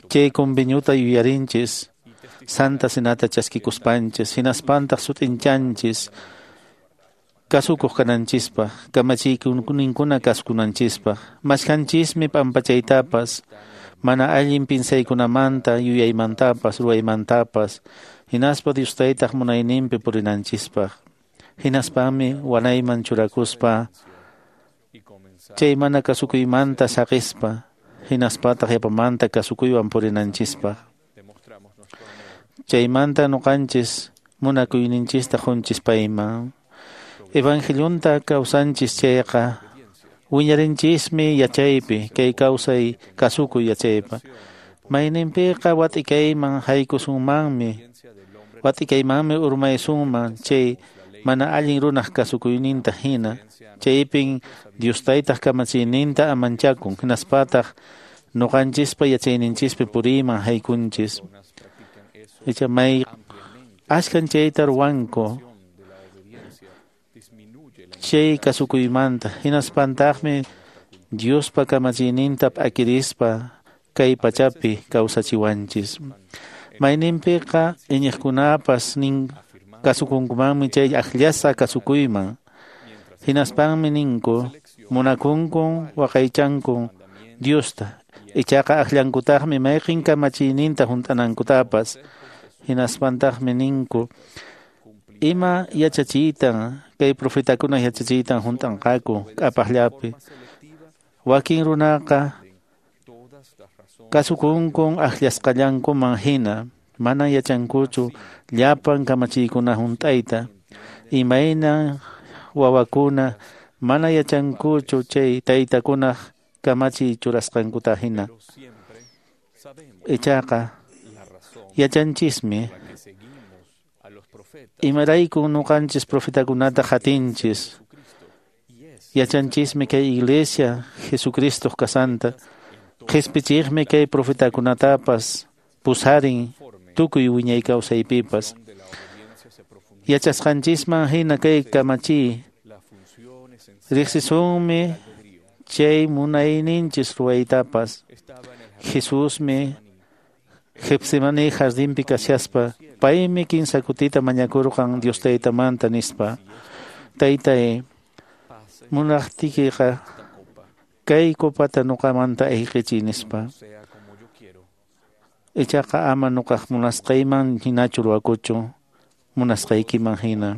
S8: chay conveniota yuyarinchis Santa Cenata chaskikuspanchis hinaspantaq sut'inchanchis kasukuq kananchispaq kamachiyninkuna kasukunanchispaq mashkanchismi p'ampachaytapas mana allin pinsaykunamanta yuyaymantapas ruwaymantapas hinaspa Dios Taytaq munayninpi purinanchispaq hinaspanmi wanayman churakuspa chay mana kasukuymanta saqispa hinaspataq yapamanta kasukuywan purinanchispaq. Chaymanta nuqanchis munakuyninchista qunchis payman. Evangelionta kawsanchis chayqa wiñarinchismi yachaypi kay kawsay kasukuy yachaypa. Mayninpiqa wat'ikayman haykusunmanmi wat'ikaymanmi urmaysunman chay mana allin runaq kasukuyninta hina. Chaypin Dios Taytaq kamachiyninta amanchakun hinaspataq nuqanchispa yachayninchispi puriyman haykunchis. Icha may ashkan chayta ruwanku chay kasukuymanta hinaspantaqmi Diospa kamachiyninta p'akirispa kay pachapi kawsachiwanchis. Mayninpiqa iñiqkunapas nin kasukunkumanmi chay akllasqa kasukuyman. Hinaspanmi ninku munakunkun waqaychankun Diosta ichaqa akllankutaqmi mayqin kamachiyninta hunt'anankutapas. Hinaspantaqmi ninku ima yachachiytan kay profetakuna yachachiytan hunt'anqaku k'apaqllapi. Wakin runaqa kasukunkun akllasqallankuman hina mana yachankuchu llapan kamachiykuna hunt'ayta. Imayna wawakuna mana yachankuchu chay taytakunaq kamachiy churasqankuta hina. Ichaqa yachanchismi imaraykun nuqanchis profetakunata qatinchis. Yachanchismi kay iglesia Jesucristoq kasanta. Qhispichiqmi kay profetakunatapas pusarin tukuy wiñay kawsaypipas. Yachasqanchisman hina kay kamachiy riqsisunmi chay munayninchis ruwaytapas. Jesusmi Getsemaní jardinpi kashaspa paymi kinsa kutita mañakurqan Dios Taytamanta nispa: Taytay, munaqtiykiqa kay copata ñuqamanta ayqichiy nispa. Ichaqa ama ñuqaq munasqayman hinachu ruwakuchu, munasqaykiman hina.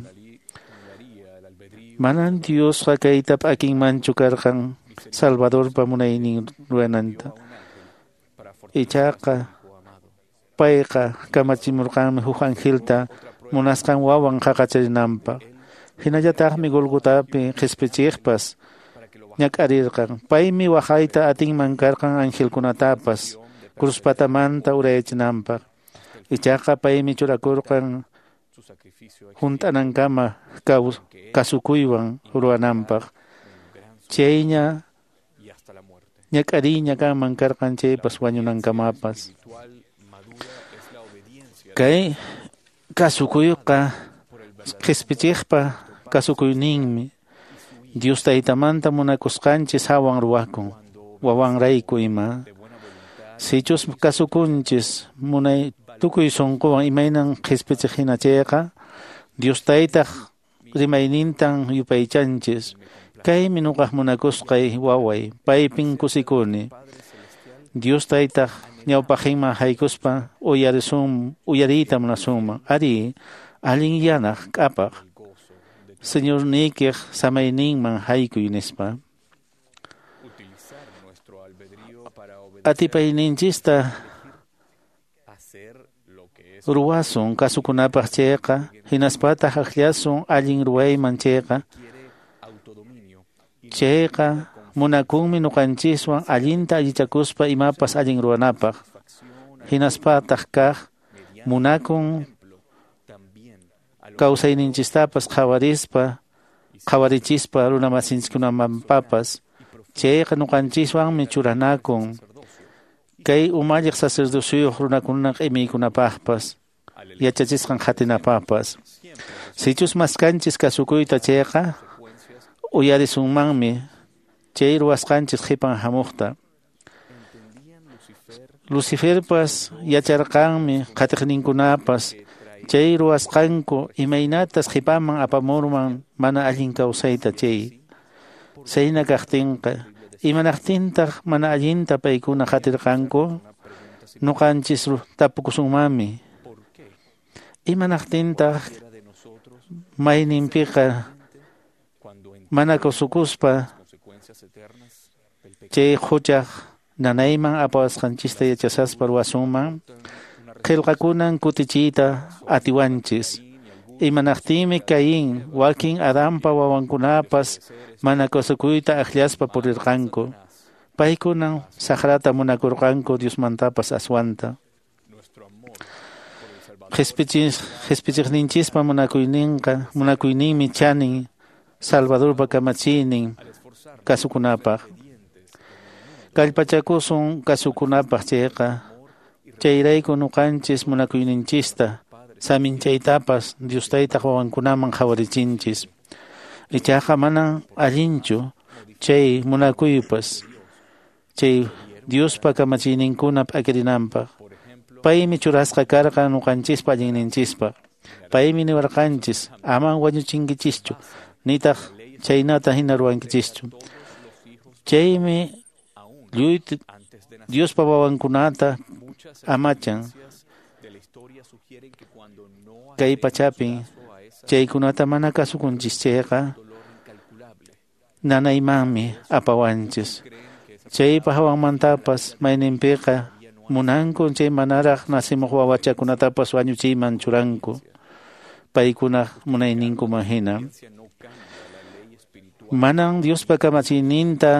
S8: Manan Diosqa kayta p'akinmanchu karqan Salvadorpa munaynin ruwananta. Ichaqa payqa kamachimurqanmi huk angelta munasqan wawan qaqacharinanpaq. Hinallataqmi Golgotapi qhispichiqpas ñak'arirqan. Paymi waqayta atinman karqan angelkunatapas cruzpatamanta urayachinanpaq. Ichaqa paymi churakurqan hunt'anankama kasukuywan ruwananpaq. Chayña ñak'ariyña kanman karqan chaypas wañunankamapas. Kay kasukuyqa qhispichiqpa kasukuyninmi. Dios Taytamanta munakusqanchis hawan ruwakun, wawanrayku ima. Sichus kasukunchis munay tukuy sunquwan imaynan qhispichiq hina chayqa, Dios Taytaq rimaynintan yupaychanchis. Kaymi ñuqaq munakusqay waway, paypin kusikuni. Dios Taytaq ñawpaqinman haykuspa uyariyta munasunman. Ari, allin yanaq k'apaq Señorniykiq samayninman haykuy nispa. Atipayninchista ruwasun kasukunapaq chayqa, hinaspataq akllasun allin ruwayman chayqa. Chayqa munakunmi ñuqanchiswan allinta allichakuspa imapas allin ruwanapaq. Hinaspataq kaq munakun kawsayninchistapas qhawarispa, qhawarichispa runamasinchikkunamanpapas. Chayqa ñuqanchiswanmi churanakun kay umalliq sacerdociyuq runakunaq imaykunapaqpas, yachachisqan qatinapaqpas. Sichus maskanchis kasukuyta chayqa, uyarisunmanmi chay ruwasqanchis qhipan hamuqta. Luciferpas yacharqanmi qatiqninkunapas chay ruwasqanku imaynatas qhipaman apamurman mana allin kawsayta chay. Sayna kaqtinqa, imanaqtintaq mana allinta paykuna qatirqanku? Ñuqanchis tapukusunmanmi. Imanaqtintaq mayninpiqa mana kasukuspa chay huchaq nanayman apawasqanchista yachasaspa ruwasunman? Qillqakunan kutichiyta atiwanchis. Imanaqtinmi Caín, wakin Adanpa wawankunapas mana kasukuyta akllaspa purirqanku. Paykunan saqrata munakurqanku Diosmantapas aswanta. Qhispichiqninchispa munakuyninmi chanin Salvadorpa kamachiynin kasukunapaq. Kallpachakusun kasukunapaq chayqa, chayrayku ñuqanchis munakuyninchista saminchaytapas Dios Taytaq wawankunaman qhawarichinchis. Ichaqa manan allinchu chay munakuypas chay Diospa kamachiyninkuna p'akirinanpaq. Paymi churasqa karqan ñuqanchispa allinninchispaq. Paymi niwarqanchis aman wañuchinkichischu, nitaq chaynata hina ruwankichischu. Chaymi lluy Diospa wawankunata amachan kay pachapin. Chaykunata mana kasukunchis chayqa nanaymanmi apawanchis. Chaypa hawanmantapas mayninpiqa munanku chay manaraq nacimuq wawachakunatapas wañuchiyman churanku paykunaq munayninkuman hina. Manan Diospa kamachiyninta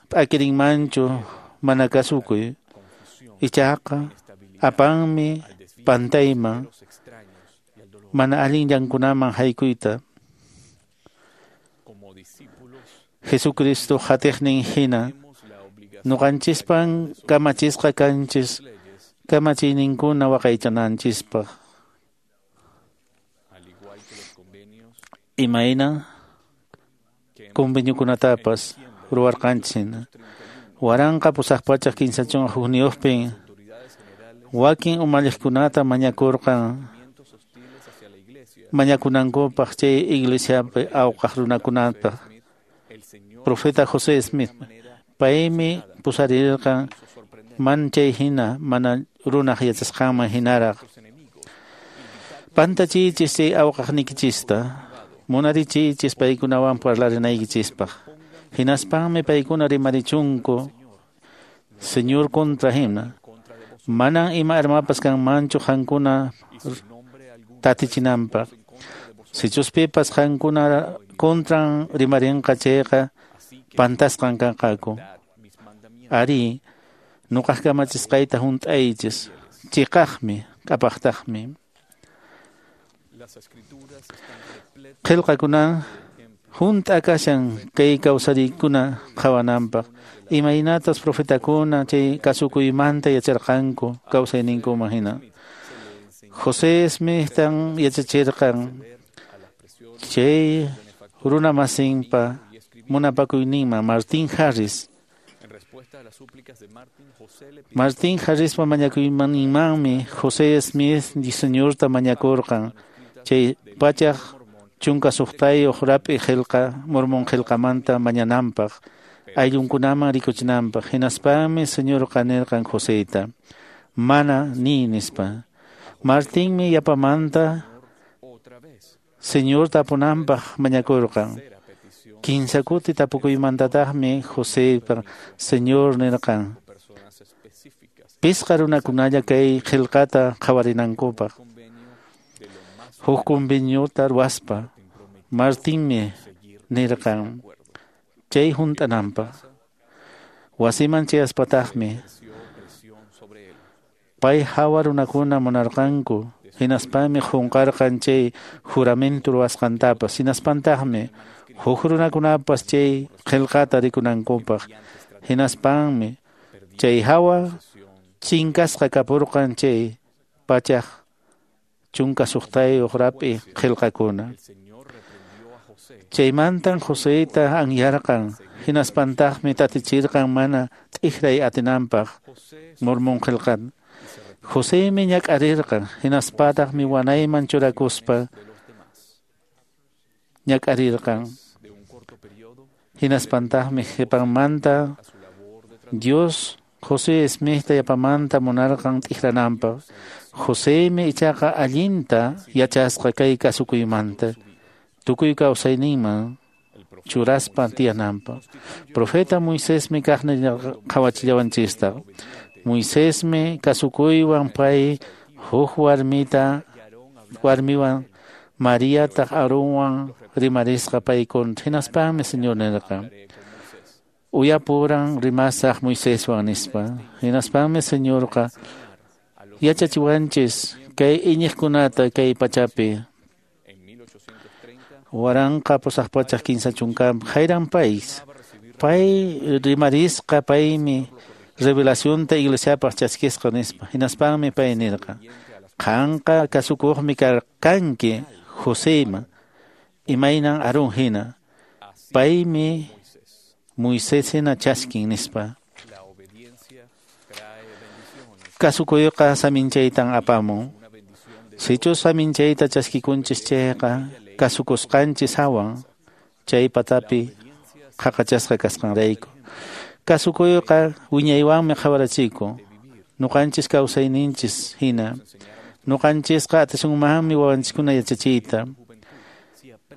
S8: p'akirinmanchu mana kasukuy. Ichaqa apanmi pantayman mana allin llankunaman haykuyta. Jesucristo qatiqnin hina Nuqanchispan kamachisqa kanchis kamachiyninkuna waqaychananchispaq. Imayna conveniokunatapas ruwarqanchis hina. 1831pin wakin umalliqkunata mañakurqan mañakunankupaq chay iglesiapi awqaq runakunata. Profeta José Smith paymi pusarirqan man chay hina mana runaq yachasqanman hinaraq. Pantachiychis chay awqaqnikichista, munarichiychis paykunawan parlarinaykichispaq. Hinaspanmi paykuna rimarichunku Señor contra hina. Manan ima armapas kanmanchu qankuna tatichinanpaq. Sichus pipas qankuna contran rimarinqa chayqa pantasqan kanqaku. Ari, nuqaq kamachisqayta hunt'aychis, chiqaqmi, q'apaqtaqmi. Qillqakuna hunt'a kashan kay kawsariykuna qhawananpaq. Imaynatas profetakuna chay kasukuymanta yacharqanku kawsayninkuman hina. José Smithtan yachachirqan chay runamasinpa munapakuyninman Martin Harris. Martin Harrispa mañakuyninmanmi José Smith Señorta mañakurqan chay 116 rap'i qillqa Mormón qillqamanta mañananpaq ayllunkunaman rikuchinanpaq. Hinaspanmi Señorqa nirqan Joseyta mana ni nispa. Martinmi yapamanta Señor tapunanpaq mañakurqan. Kinsa kuti tapukuymantataqmi Joseypa Señor nirqan pisqa runakunalla kay qillqata qhawarinankupaq. Huk conveniota ruwaspa Martinmi nirqan chay hunt'ananpaq. Wasiman chayaspataqmi pay hawa runakuna munarqanku. Hinaspanmi qunqarqan chay juramento ruwasqantapas. Hinaspantaqmi huk runakunapas chay qillqata rikunankupaq. Hinaspanmi chay hawa chinkasqa kapurqan chay 116 rap'i qillqakuna. Chaymantan Joseyta anyarqan. Hinaspantaqmi tatichirqan mana t'ikray atinanpaq Mormón qillqata. Joseymi ñak'arirqan, hinaspataqmi wanayman churakuspa ñak'arirqan. Hinaspantaqmi qhipanmanta Dios José Smithta yapamanta munarqan t'ikrananpaq. Joseymi ichaqa allinta yachasqa kay kasukuymanta tukuy kawsayninman churaspa tiyananpaq. Profeta Moisesmi kaqni qhawachillawanchista. Moisesmi kasukuywan pay huk warmiwan Mariataq Aaronwan rimarisqa paykuna. Hinaspanmi Señor nirqan uyapuran rimasaq Moiseswan nispa. Hinaspanmi Señorqa yachachiwanchis kay iñiqkunata kay pachapi. 1830 Hiram Pais pay rimarisqa paymi revelacionta iglesiapaq chaskisqa nispa. Hinaspanmi pay nirqa qanqa kasukuqmi karqanki Joseyman imaynan Aarón hina paymi Moisés hina chaskin nispa. Kasukuyqa saminchaytan apamun. Sichus saminchayta chaskikunchis chayqa kasukusqanchis hawan chay patapi qhaqachasqa kasqanrayku. Kasukuyqa wiñaywanmi qhawarachikun. Nuqanchis kawsayninchis hina. Nuqanchisqa atisunmanmi wawanchiskuna yachachiyta.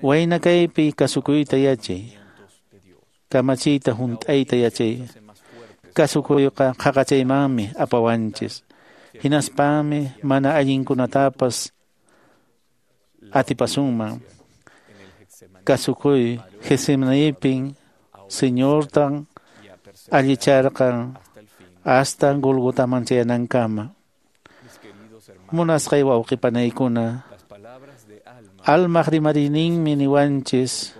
S8: Wayna kaypi kasukuyta yachay. Kamachiyta hunt'ayta yachay. Kasukuyqa qhaqachaymanmi apawanchis. Hinaspanmi mana allinkunatapas atipasunman. Kasukuy Getsemanipin Señortan allicharqan hasta Golgotaman chayanankama. Munasqay wawqipanaykuna, almaq rimariyninmi niwanchis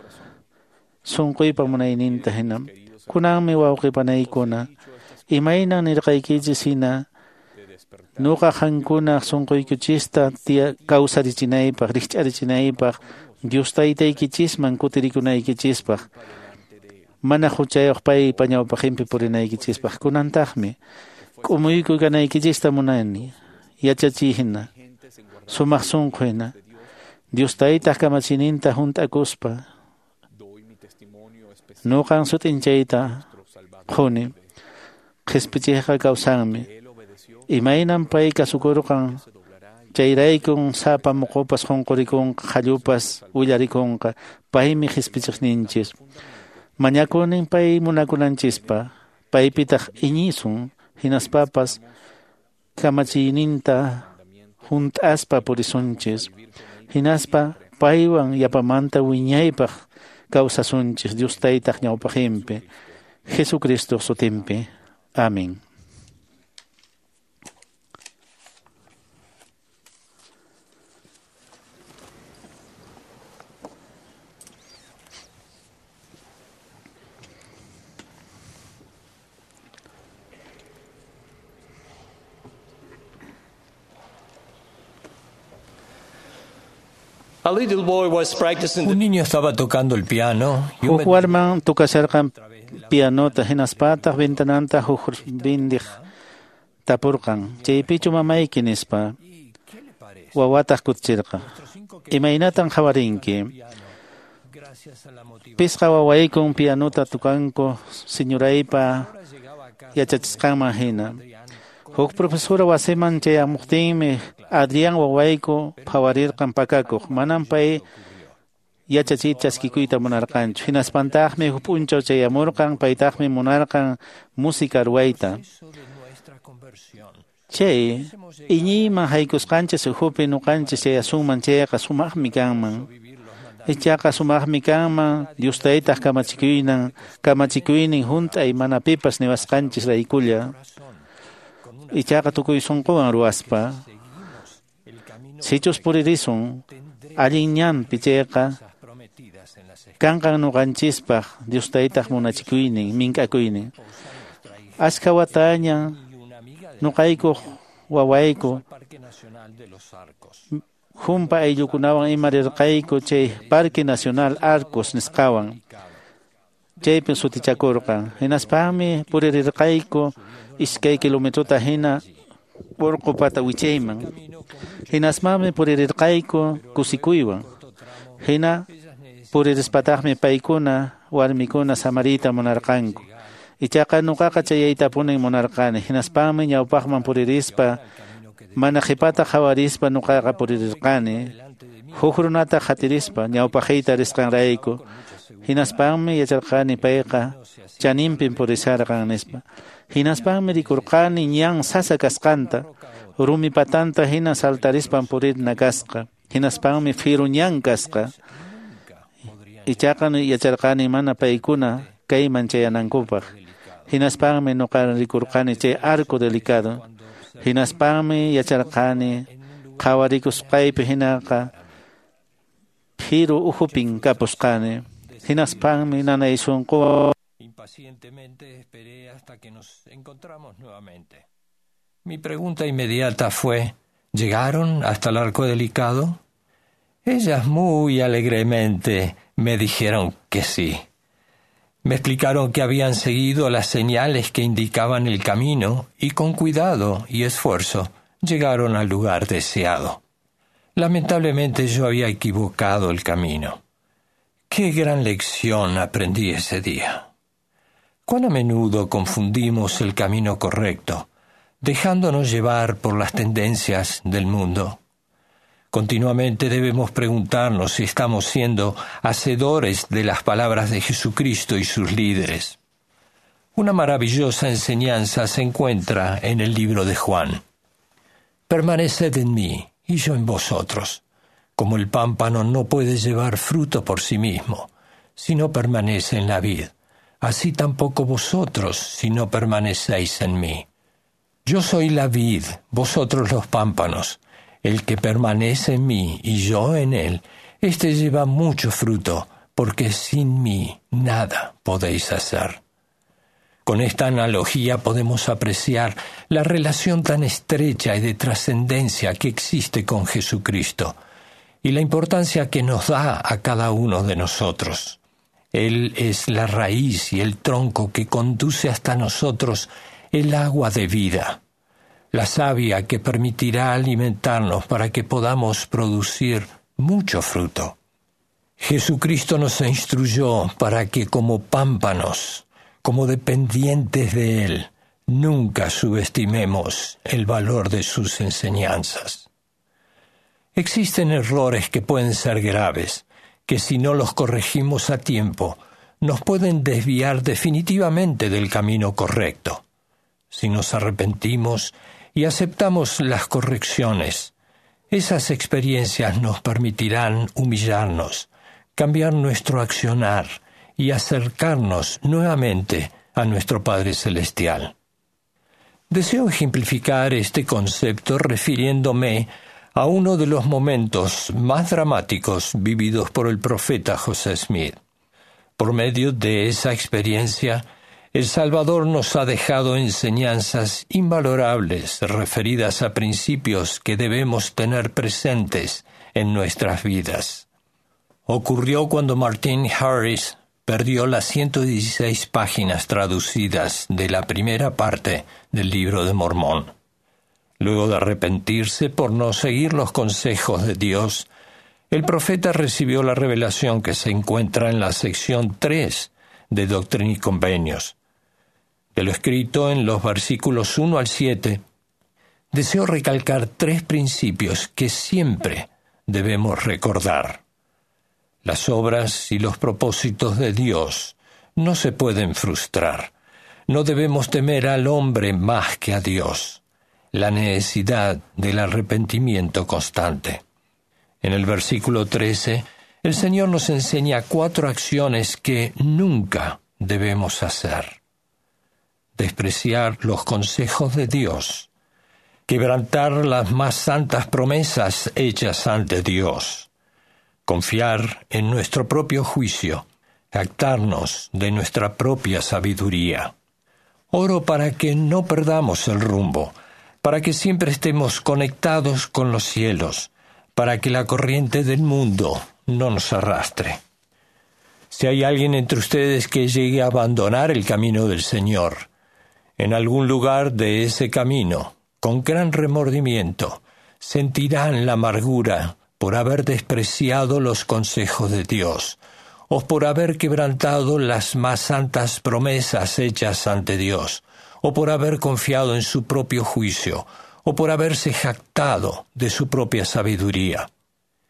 S8: sunquypa munayninta hina. Kunanmi wawqipanaykuna, Imaynan nirqaykichis hina nuqa qankuna sunquykichista kawsarichinaypaq, rikch'arichinaypaq, Dios taytaykichisman kutirikunaykichispaq, mana huchayuq paypa ñawpaqinpi purinaykichispaq. Kunantaqmi k'umuykuy kanaykichista munani, yachachiy hina, sumaq sunqu hina, Dios taytaq kamachininta hunt'akuspa. Nuqan sut'inchayta quni, qhispichiyqa kawsanmi. Imaynan pay kasukurqan, chayraykun sapa muqupas qunqurikunqa, qallupas willarikunqa, paymi qhispichiqninchis. Mañakunin pay munakunanchispa, paypitaq iñisun, hinaspapas kamachiyninta hunt'aspa purisunchis. Hinaspa paywan yapamanta wiñaypaq kawsasunchis Dios taytaq ñawpaqinpi, Jesucristo sutinpi. Amén.
S14: Un niño estaba tocando el piano y un
S8: Huk warman tukasharqan pianota hinaspataq ventananta huk bindiq tapurqan, chaypichu mamayki nispa. Wawataq kutichirqa, imaynatan qhawarinki? Pisqa wawaykun pianota tukanku señoraypa yachachisqanman hina. Huk profesora wasiman chayamuqtinmi Adrián wawayku phawarirqan pakakuq, manam pay yachachiy chaskikuyta munarqanchu. Hinaspantaqmi huk p'unchaw chayamurqan, paytaqmi munarqan música ruwayta. Chay iñiyman haykusqanchis ukhupi nuqanchis chayasunman chayqa sumaqmi kanman. Ichaqa sumaqmi kanman Dios taytaq kamachikuynin hunt'ay mana pipas niwasqanchis raykulla. Ichaqa tukuy sunquwan ruwaspa. Sichus puririsun allin ñanpi chayqa kanqan nuqanchispaq Dios taytaq munachikuynin mink'akuynin. Ashka wataña nuqaykuq wawayku humpa ayllukunawan ima rirqayku chay Parque Nacional Arcos nisqawan. Chaypin sutichakurqan. Hinaspaqmi puririrqayku iskay kilometrota hina urqu pata wichayman. Hinaspaqmi puririrqayku kusikuywan. Hina puririspataqmi paykuna warmikuna samariyta munarqanku. Ichaqa nuqaqa chayaytapunin munarqani. Hinaspaqmi ñawpaqman puririspa mana qhipata qhawarispa nuqaqa puririrqani. Huk runata qhatirispa ñawpaqiyta risqanrayku. Hinaspaqmi yacharqani payqa chaninpin purisharqan nispa. Hinaspaqmi rikurqani ñan sasa kasqanta, rumi patanta hina saltarispan purirna kasqa. Hinaspaqmi firu ñan kasqa. Ichaqa yacharqani mana paykuna kayman chayanankupaq. Hinaspaqmi nuqa rikurqani chay arco delicado. Hinaspaqmi yacharqani qhawarikusqaypi hinaqa phiru ukhupin kapusqani. Hinaspaqmi nanay sunqu.
S14: Impacientemente esperé hasta que nos encontramos nuevamente. Mi pregunta inmediata fue, ¿llegaron hasta el arco delicado? Ellas muy alegremente me dijeron que sí. Me explicaron que habían seguido las señales que indicaban el camino y con cuidado y esfuerzo llegaron al lugar deseado. Lamentablemente yo había equivocado el camino. Qué gran lección aprendí ese día. Cuán a menudo confundimos el camino correcto, dejándonos llevar por las tendencias del mundo. Continuamente debemos preguntarnos si estamos siendo hacedores de las palabras de Jesucristo y sus líderes. Una maravillosa enseñanza se encuentra en el libro de Juan. Permaneced en mí y yo en vosotros. Como el pámpano no puede llevar fruto por sí mismo, si no permanece en la vid, así tampoco vosotros si no permanecéis en mí. Yo soy la vid, vosotros los pámpanos. El que permanece en mí y yo en él, éste lleva mucho fruto, porque sin mí nada podéis hacer. Con esta analogía podemos apreciar la relación tan estrecha y de trascendencia que existe con Jesucristo y la importancia que nos da a cada uno de nosotros. Él es la raíz y el tronco que conduce hasta nosotros el agua de vida, la savia que permitirá alimentarnos para que podamos producir mucho fruto. Jesucristo nos instruyó para que como pámpanos, como dependientes de Él, nunca subestimemos el valor de sus enseñanzas. Existen errores que pueden ser graves, que si no los corregimos a tiempo, nos pueden desviar definitivamente del camino correcto. Si nos arrepentimos y aceptamos las correcciones, esas experiencias nos permitirán humillarnos, cambiar nuestro accionar y acercarnos nuevamente a nuestro Padre Celestial. Deseo ejemplificar este concepto refiriéndome a uno de los momentos más dramáticos vividos por el profeta José Smith. Por medio de esa experiencia, el Salvador nos ha dejado enseñanzas invalorables referidas a principios que debemos tener presentes en nuestras vidas. Ocurrió cuando Martin Harris perdió las 116 páginas traducidas de la primera parte del libro de Mormón. Luego de arrepentirse por no seguir los consejos de Dios, el profeta recibió la revelación que se encuentra en la sección 3 de Doctrina y Convenios. De lo escrito en los versículos 1 al 7, deseo recalcar tres principios que siempre debemos recordar. Las obras y los propósitos de Dios no se pueden frustrar. No debemos temer al hombre más que a Dios. La necesidad del arrepentimiento constante. En el versículo 13, el Señor nos enseña cuatro acciones que nunca debemos hacer. Despreciar los consejos de Dios. Quebrantar las más santas promesas hechas ante Dios. Confiar en nuestro propio juicio. Jactarnos de nuestra propia sabiduría. Oro para que no perdamos el rumbo, para que siempre estemos conectados con los cielos, para que la corriente del mundo no nos arrastre. Si hay alguien entre ustedes que llegue a abandonar el camino del Señor, en algún lugar de ese camino, con gran remordimiento, sentirán la amargura por haber despreciado los consejos de Dios, o por haber quebrantado las más santas promesas hechas ante Dios, o por haber confiado en su propio juicio, o por haberse jactado de su propia sabiduría.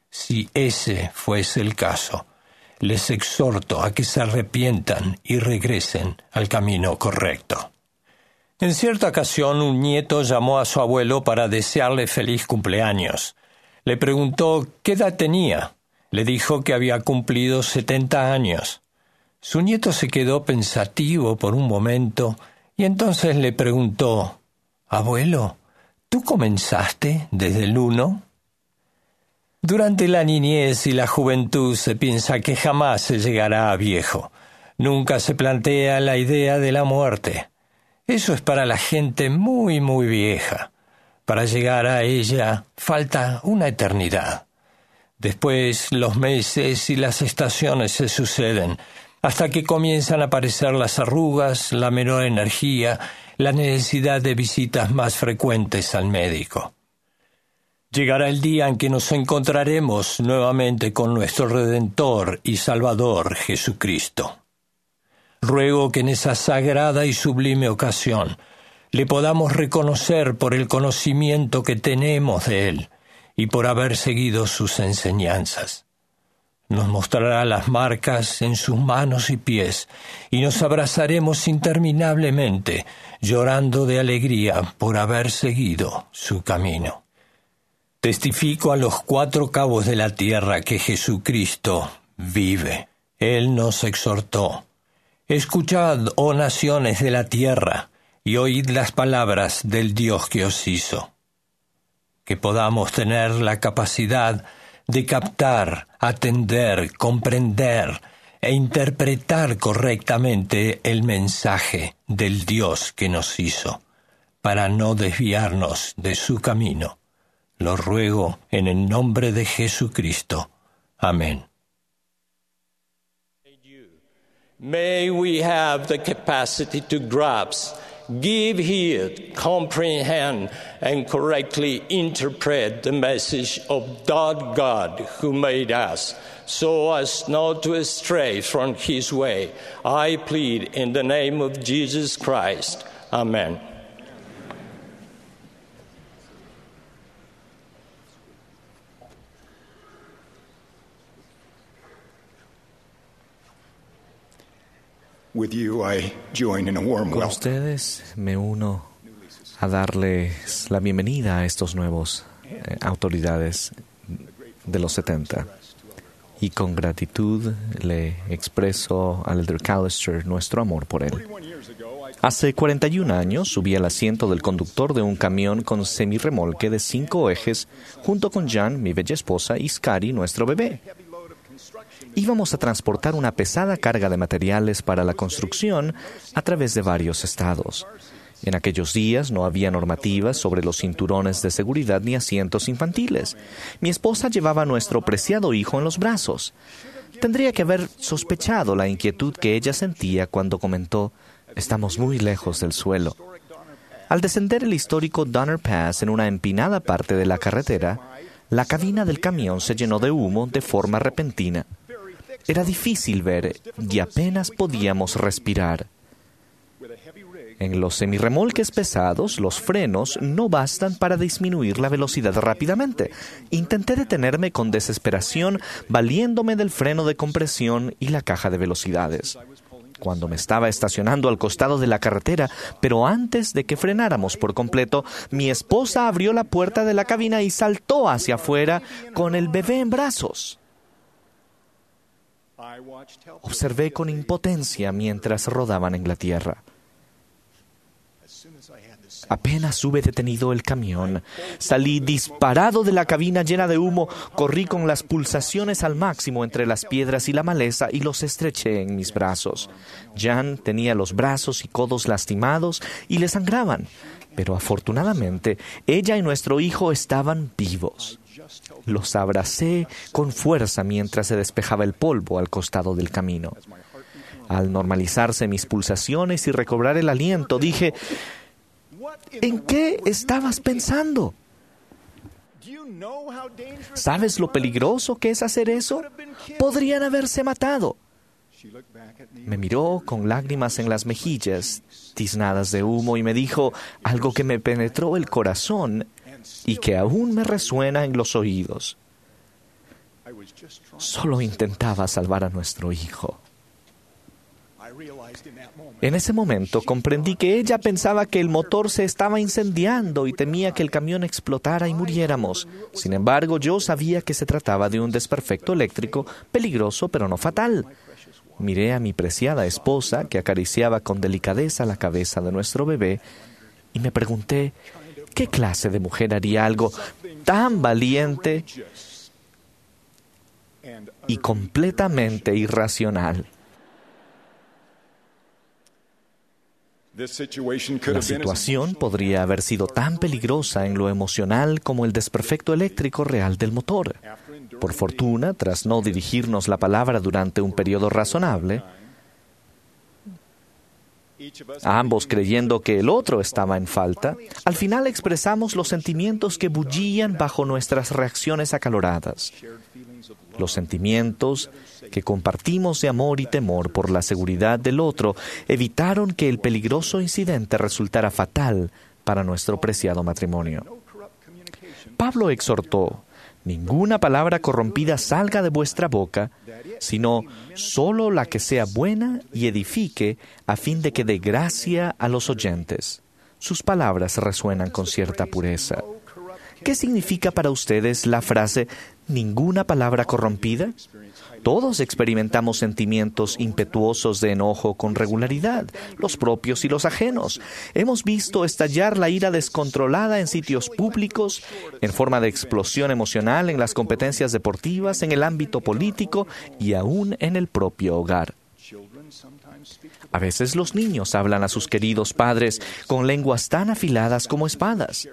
S14: Si ese fuese el caso, les exhorto a que se arrepientan y regresen al camino correcto. En cierta ocasión, un nieto llamó a su abuelo para desearle feliz cumpleaños. Le preguntó qué edad tenía. Le dijo que había cumplido 70 años. Su nieto se quedó pensativo por un momento y entonces le preguntó: Abuelo, ¿tú comenzaste desde el 1? Durante la niñez y la juventud se piensa que jamás se llegará a viejo. Nunca se plantea la idea de la muerte. Eso es para la gente muy, muy vieja. Para llegar a ella falta una eternidad. Después los meses y las estaciones se suceden, hasta que comienzan a aparecer las arrugas, la menor energía, la necesidad de visitas más frecuentes al médico. Llegará el día en que nos encontraremos nuevamente con nuestro Redentor y Salvador Jesucristo. Ruego que en esa sagrada y sublime ocasión le podamos reconocer por el conocimiento que tenemos de Él y por haber seguido sus enseñanzas. Nos mostrará las marcas en sus manos y pies, y nos abrazaremos interminablemente, llorando de alegría por haber seguido su camino. Testifico a los cuatro cabos de la tierra que Jesucristo vive. Él nos exhortó: Escuchad, oh naciones de la tierra, y oíd las palabras del Dios que os hizo. Que podamos tener la capacidad de captar, atender, comprender, e interpretar correctamente el mensaje del Dios que nos hizo, para no desviarnos de su camino. Lo ruego en el nombre de Jesucristo. Amén. May we have the capacity to grasp, give heed, comprehend, and correctly interpret the message of that God who made us, so as not to stray from his way. I plead in the name of Jesus Christ. Amen.
S10: With you, I join in a warm
S15: Con
S10: welcome.
S15: ustedes me uno a darles la bienvenida a estos nuevos autoridades de los 70. Y con gratitud le expreso al Elder Callister nuestro amor por él. Hace 41 años subí al asiento del conductor de un camión con semirremolque de 5 ejes junto con Jan, mi bella esposa, y Skari, nuestro bebé. Íbamos a transportar una pesada carga de materiales para la construcción a través de varios estados. En aquellos días no había normativas sobre los cinturones de seguridad ni asientos infantiles. Mi esposa llevaba a nuestro preciado hijo en los brazos. Tendría que haber sospechado la inquietud que ella sentía cuando comentó, «Estamos muy lejos del suelo». Al descender el histórico Donner Pass en una empinada parte de la carretera, la cabina del camión se llenó de humo de forma repentina. Era difícil ver y apenas podíamos respirar. En los semirremolques pesados, los frenos no bastan para disminuir la velocidad rápidamente. Intenté detenerme con desesperación, valiéndome del freno de compresión y la caja de velocidades. Cuando me estaba estacionando al costado de la carretera, pero antes de que frenáramos por completo, mi esposa abrió la puerta de la cabina y saltó hacia afuera con el bebé en brazos. Observé con impotencia mientras rodaban en la tierra. Apenas hube detenido el camión, salí disparado de la cabina llena de humo, corrí con las pulsaciones al máximo entre las piedras y la maleza y los estreché en mis brazos. Jan tenía los brazos y codos lastimados y le sangraban, pero afortunadamente ella y nuestro hijo estaban vivos. Los abracé con fuerza mientras se despejaba el polvo al costado del camino. Al normalizarse mis pulsaciones y recobrar el aliento, dije: ¿En qué estabas pensando? ¿Sabes lo peligroso que es hacer eso? Podrían haberse matado. Me miró con lágrimas en las mejillas, tiznadas de humo, y me dijo algo que me penetró el corazón y que aún me resuena en los oídos. Solo intentaba salvar a nuestro hijo. En ese momento comprendí que ella pensaba que el motor se estaba incendiando y temía que el camión explotara y muriéramos. Sin embargo, yo sabía que se trataba de un desperfecto eléctrico peligroso pero no fatal. Miré a mi preciada esposa, que acariciaba con delicadeza la cabeza de nuestro bebé, y me pregunté, ¿qué clase de mujer haría algo tan valiente y completamente irracional? La situación podría haber sido tan peligrosa en lo emocional como el desperfecto eléctrico real del motor. Por fortuna, tras no dirigirnos la palabra durante un periodo razonable, ambos creyendo que el otro estaba en falta, al final expresamos los sentimientos que bullían bajo nuestras reacciones acaloradas. Los sentimientos que compartimos de amor y temor por la seguridad del otro evitaron que el peligroso incidente resultara fatal para nuestro preciado matrimonio. Pablo exhortó: ninguna palabra corrompida salga de vuestra boca, sino solo la que sea buena y edifique, a fin de que dé gracia a los oyentes. Sus palabras resuenan con cierta pureza. ¿Qué significa para ustedes la frase ninguna palabra corrompida? Todos experimentamos sentimientos impetuosos de enojo con regularidad, los propios y los ajenos. Hemos visto estallar la ira descontrolada en sitios públicos, en forma de explosión emocional en las competencias deportivas, en el ámbito político y aún en el propio hogar. A veces los niños hablan a sus queridos padres con lenguas tan afiladas como espadas.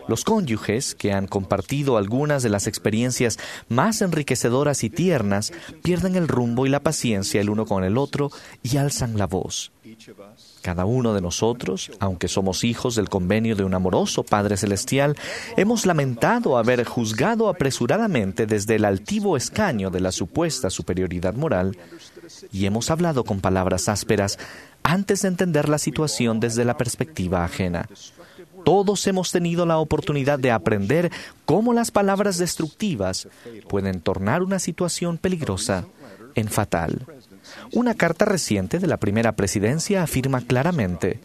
S15: Los cónyuges, que han compartido algunas de las experiencias más enriquecedoras y tiernas, pierden el rumbo y la paciencia el uno con el otro y alzan la voz. Cada uno de nosotros, aunque somos hijos del convenio de un amoroso Padre Celestial, hemos lamentado haber juzgado apresuradamente desde el altivo escaño de la supuesta superioridad moral y hemos hablado con palabras ásperas antes de entender la situación desde la perspectiva ajena. Todos hemos tenido la oportunidad de aprender cómo las palabras destructivas pueden tornar una situación peligrosa en fatal. Una carta reciente de la primera presidencia afirma claramente: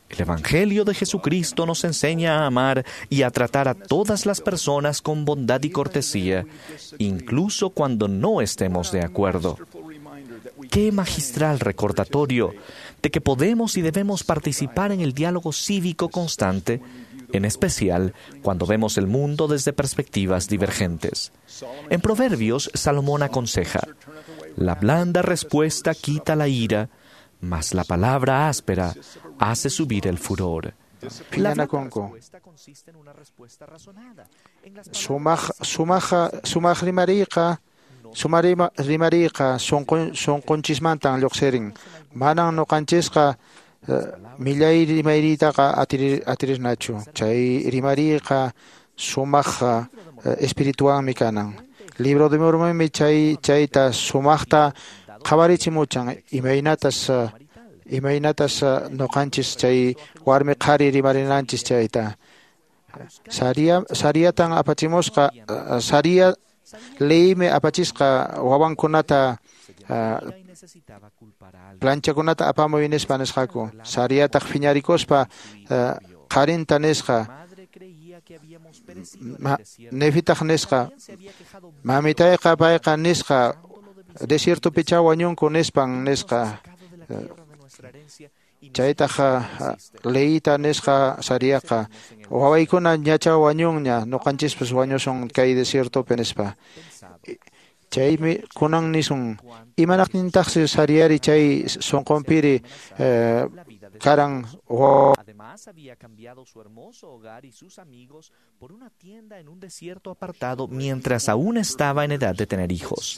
S15: el Evangelio de Jesucristo nos enseña a amar y a tratar a todas las personas con bondad y cortesía, incluso cuando no estemos de acuerdo. Qué magistral recordatorio de que podemos y debemos participar en el diálogo cívico constante, en especial cuando vemos el mundo desde perspectivas divergentes. En Proverbios, Salomón aconseja: la blanda respuesta quita la ira, mas la palabra áspera hace subir el furor. La
S9: Phiñanakunku. Sumaq rimariyqa sunqunchismantan lluqsirin. Manan ñuqanchisqa millay rimariytaqa atirisnachu. Chay rimariyqa sumaq espirituanmi kanan. Libro de Mormonmi chayta sumaqta qhawarichimuchan imaynatas ñuqanchis chay warmi qhari rimarinanchis chayta. Sariatan apachimusqa, Saria leymi apachisqa wawankunata planchakunata apamuy nispa nisqaku. Sariataq phiñarikuspa qharinta nisqa, Nefitaq nisqa, mamitayqa payqa nisqa, desiertopichá wañunku nispan nisqa. Chaytaq leyta nisqa Sariaqa, wawaykuna ñacha wañunña, ñuqanchispas wañusun kay desiertopi nispa. Chaymi kunan nisun, imanaqtintaqsi Sariari chay sunqunpiri karan.
S15: Además había cambiado su hermoso hogar y sus amigos por una tienda en un desierto apartado mientras aún estaba en edad de tener hijos.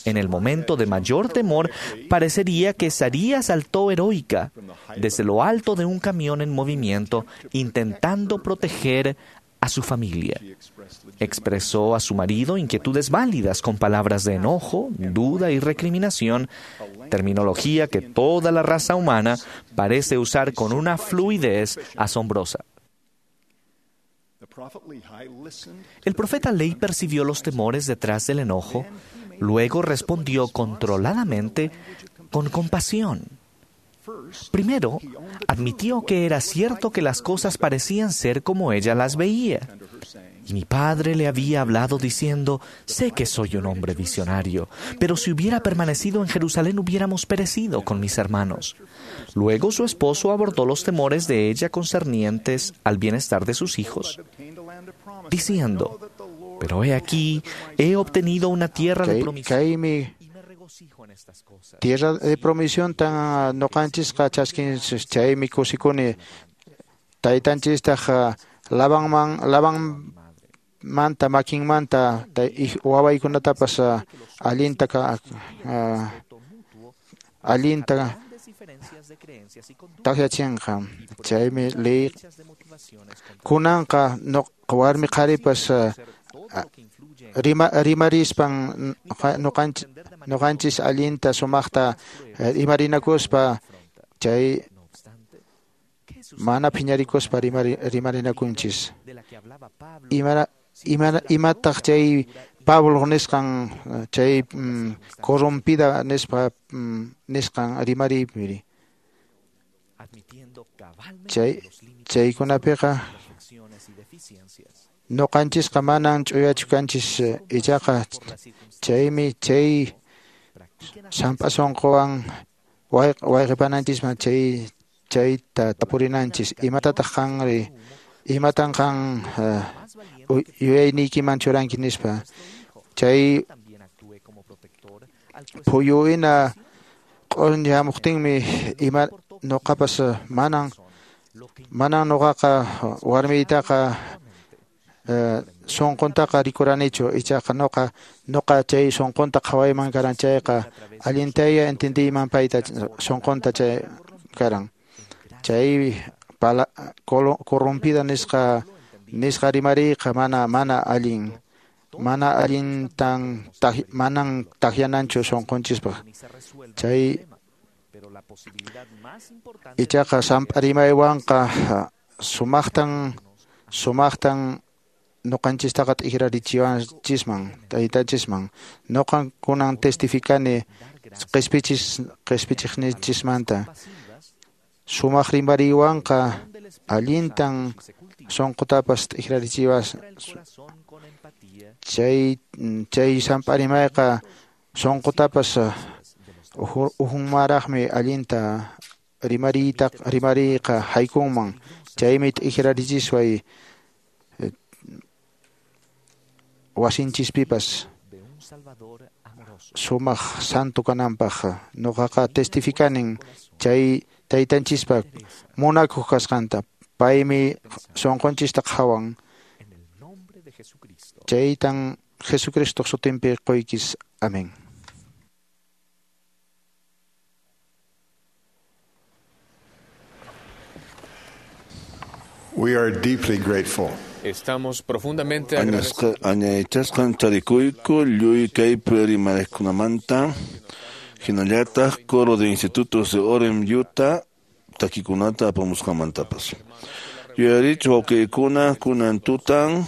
S15: En el momento de mayor temor, parecería que Saría saltó heroica desde lo alto de un camión en movimiento, intentando proteger a su familia. Expresó a su marido inquietudes válidas con palabras de enojo, duda y recriminación, terminología que toda la raza humana parece usar con una fluidez asombrosa. El profeta Lehi percibió los temores detrás del enojo, luego respondió controladamente con compasión. Primero, admitió que era cierto que las cosas parecían ser como ella las veía. Y mi padre le había hablado diciendo, sé que soy un hombre visionario, pero si hubiera permanecido en Jerusalén hubiéramos perecido con mis hermanos. Luego su esposo abordó los temores de ella concernientes al bienestar de sus hijos, diciendo, pero he aquí, he obtenido una tierra de promisión.
S9: Tierra de promisión tan ñuqanchisqa chaskinchis chaymi kusikuni taytanchistaq Labanmanta makinmanta wawaykunatapas allinta takyachinqa. Chaymi ley kunanqa warmi qharipas rimarispan ñuqanchis allinta sumaqta rimarinakuspa chay mana phiñarikuspa rimarinakunchis. Imataq chay Pablo nisqan chay corrompida nispa nisqan rimariypiri. Chaykunapiqa Ñuqanchisqa manan ch'uyachu kanchis, ichaqa chaymi chay samp'a sunquwan wayqipananchisman chayta tapurinanchis. Imatataq qanri, imatan qan yuyayniykiman churanki nispa. Chay phuyu hina q'uñi hamuqtinmi ima ñuqapas manan ñuqaqa warmiytaqa sunquntaqa rikuranichu, ichaqa ñuqa chay sunqunta qhawayman karan chayqa allintaya entendiyman payta sunqunta chay karan. Chay corrompida nisqa rimariyqa mana allin, mana allintan manan takyananchu sunqunchispaq. Chay ichaqa samp'a rimaywanqa sumaqtan ñuqanchistaqa t'ikrarichiwanchisman taytanchisman. Ñuqan kunan testificani qhispichiqnichismanta. Sumaq rimariywanqa allintan sunqutapas t'ikrarichiwas. Chay samp'a rimayqa sunqutapas uhunmaraqmi allinta rimariyqa haykunman. Chaymi t'ikrarichisway wasinchispipas sumaq santo kananpaq. Ñuqaqa testificanin chay taytanchispa munakuq kasqanta. Paymi sunqunchista qhawan. Chaytan Jesucristo sutinpi quykis. Amén.
S13: We are deeply grateful.
S7: Estamos profundamente agradecidos.
S2: Añaychasqan tarikuyku lluy kaypi rimarikkunamanta, hinallataq coro de institutos de Orem, Utah, takikunata apamusqanmantapas. Yuyarichu wawqiykuna kunan tutan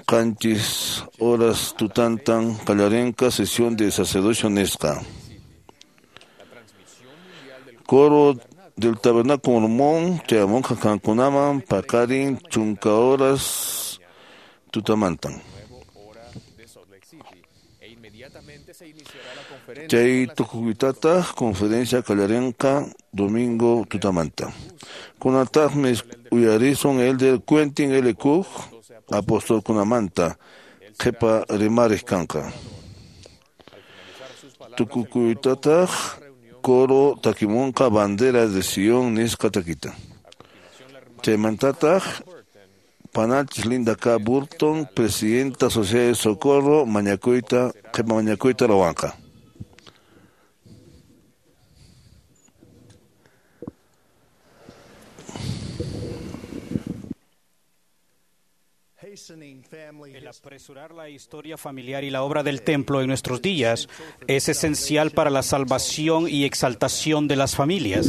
S2: 7 horas tutantan qallarinqa sesión de sacerdocio nisqa. Coro del Tabernáculo Mormón, chayamunqa kankunaman paqarin 10 horas tutamantan. Chay tukuytataq conferencia qallarinqa domingo tutamanta. Kunataqmi uyarisun elder Quentin L. Cook apostolkunamanta qhipa rimariq kanqa. Tukukuytataq coro takimunqa bandera de Sion nisqa takita. Chaymantataq panachis Linda K. Burton, presidenta Sociedad de Socorro, mañakuyta qhipa mañakuyta ruwanqa.
S3: El apresurar la historia familiar y la obra del templo en nuestros días es esencial para la salvación y exaltación de las familias.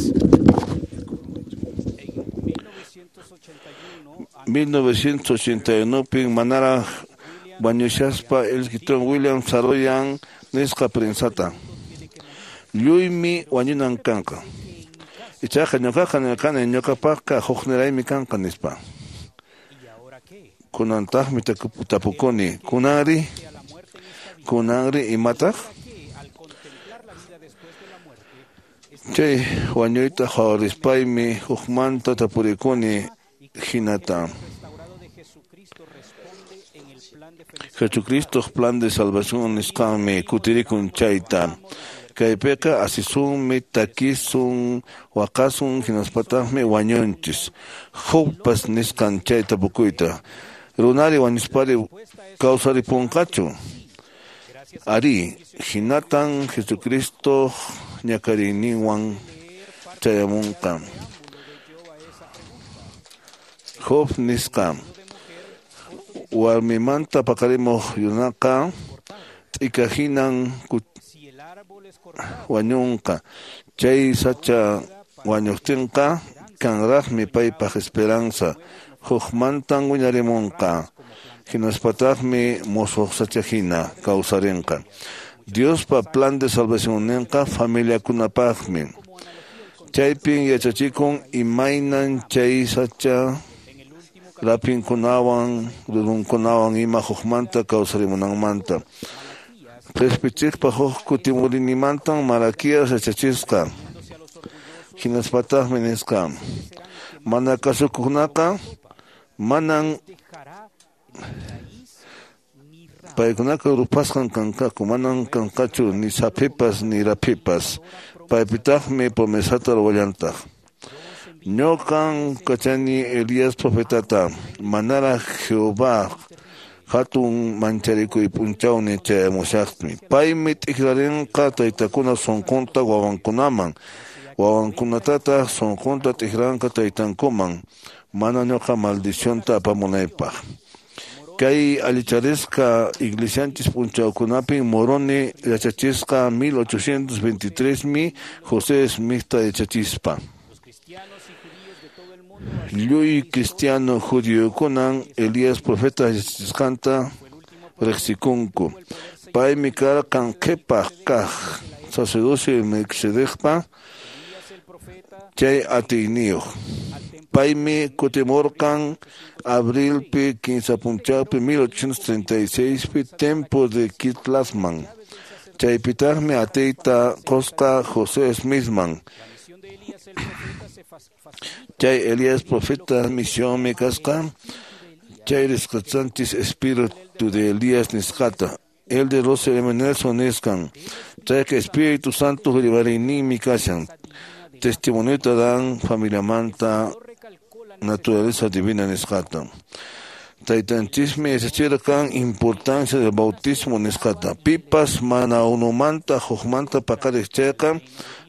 S2: En 1981 manaraq wañushaspa Elton William Saroyan nisqa prensata. Lluymi wañunan kanqa. Ichaqa ñuqaqa nirqani ñuqapaqqa hukniraymi kanqa nispa. Kunantaqmi tapukuni, kunanri, kunanri imataq? Chay wañuyta qhawarispaymi hukmanta tapurikuni hinata. Jesucristoq plan de salvación nisqanmi kutirikun chayta. Kaypiqa asisunmi, takisun, waqasun, hinaspataqmi wañunchis. Jobpas nisqan chay tapukuyta. Runari wañuspari kawsaripunqachu. Ari, hinatan Jesucristo ñakariyninwan chayamunqa. Job nisqa warmimanta paqarimuq runaqa t'ika hinan wañunqa. Chay sacha wañuqtinqa kanraqmi paypaq esperanza. Hukmantan wiñarimunqa. Hinaspataqmi musuq sacha hina kawsarinqa. Diospa plan de salvacionninqa familiakunapaqmi. Chaypin yachachikun imaynan chay sacha Rapinkunawan rurunkunawan ima hukmanta kawsarimunanmanta. Qhispichiqpa huk kutimurinimantan Malaquías yachachisqa. Hinaspataqmi nisqa: Mana kasukuqkunaqa manan paykunaqa rupasqan kanqaku, manan kanqachu ni saphipas ni raphipas. Paypitaqmi promesata ruwallantaq: Ñuqan kachani Elías profetata, manaraq Jehová hatun mancharikuy p'unchawni chayamushaqmi. Paymi t'ikrarinqa taytakuna sunqunta wawankunaman, wawankunatataq sunqunta t'ikranqa taytankuman, mana ñuqa maldicionta apamunaypaq. Kay allicharisqa iglesianchis p'unchawkunapin Moroni yachachisqa 1823mi José Smithta yachachispa. Lluy cristiano judiokunan Elías profeta yachachisqanta riqsikunku. Paymi karqan qhipaq kaq sacerdocio Melquisedecpa chay atiyniyuq. Paymi kutimurqan abrilpi 15 p'unchawpi 1836pi templo de Kirtlandman. Chaypitaqmi atiyta qusqa José Smithman. Chay Elías profeta misionmi kasqa chay risqachanchis espíritu de Elías nisqata. El de Russell M. Nelson nisqan. Chayqa Espíritu Santo rimariyninmi kashan. Testimoniota dan familiamanta naturaleza divina nisqata. Taytanchismi yachachirqan importancia del bautismo nisqata. Pipas mana unumanta hukmanta paqariq chayqa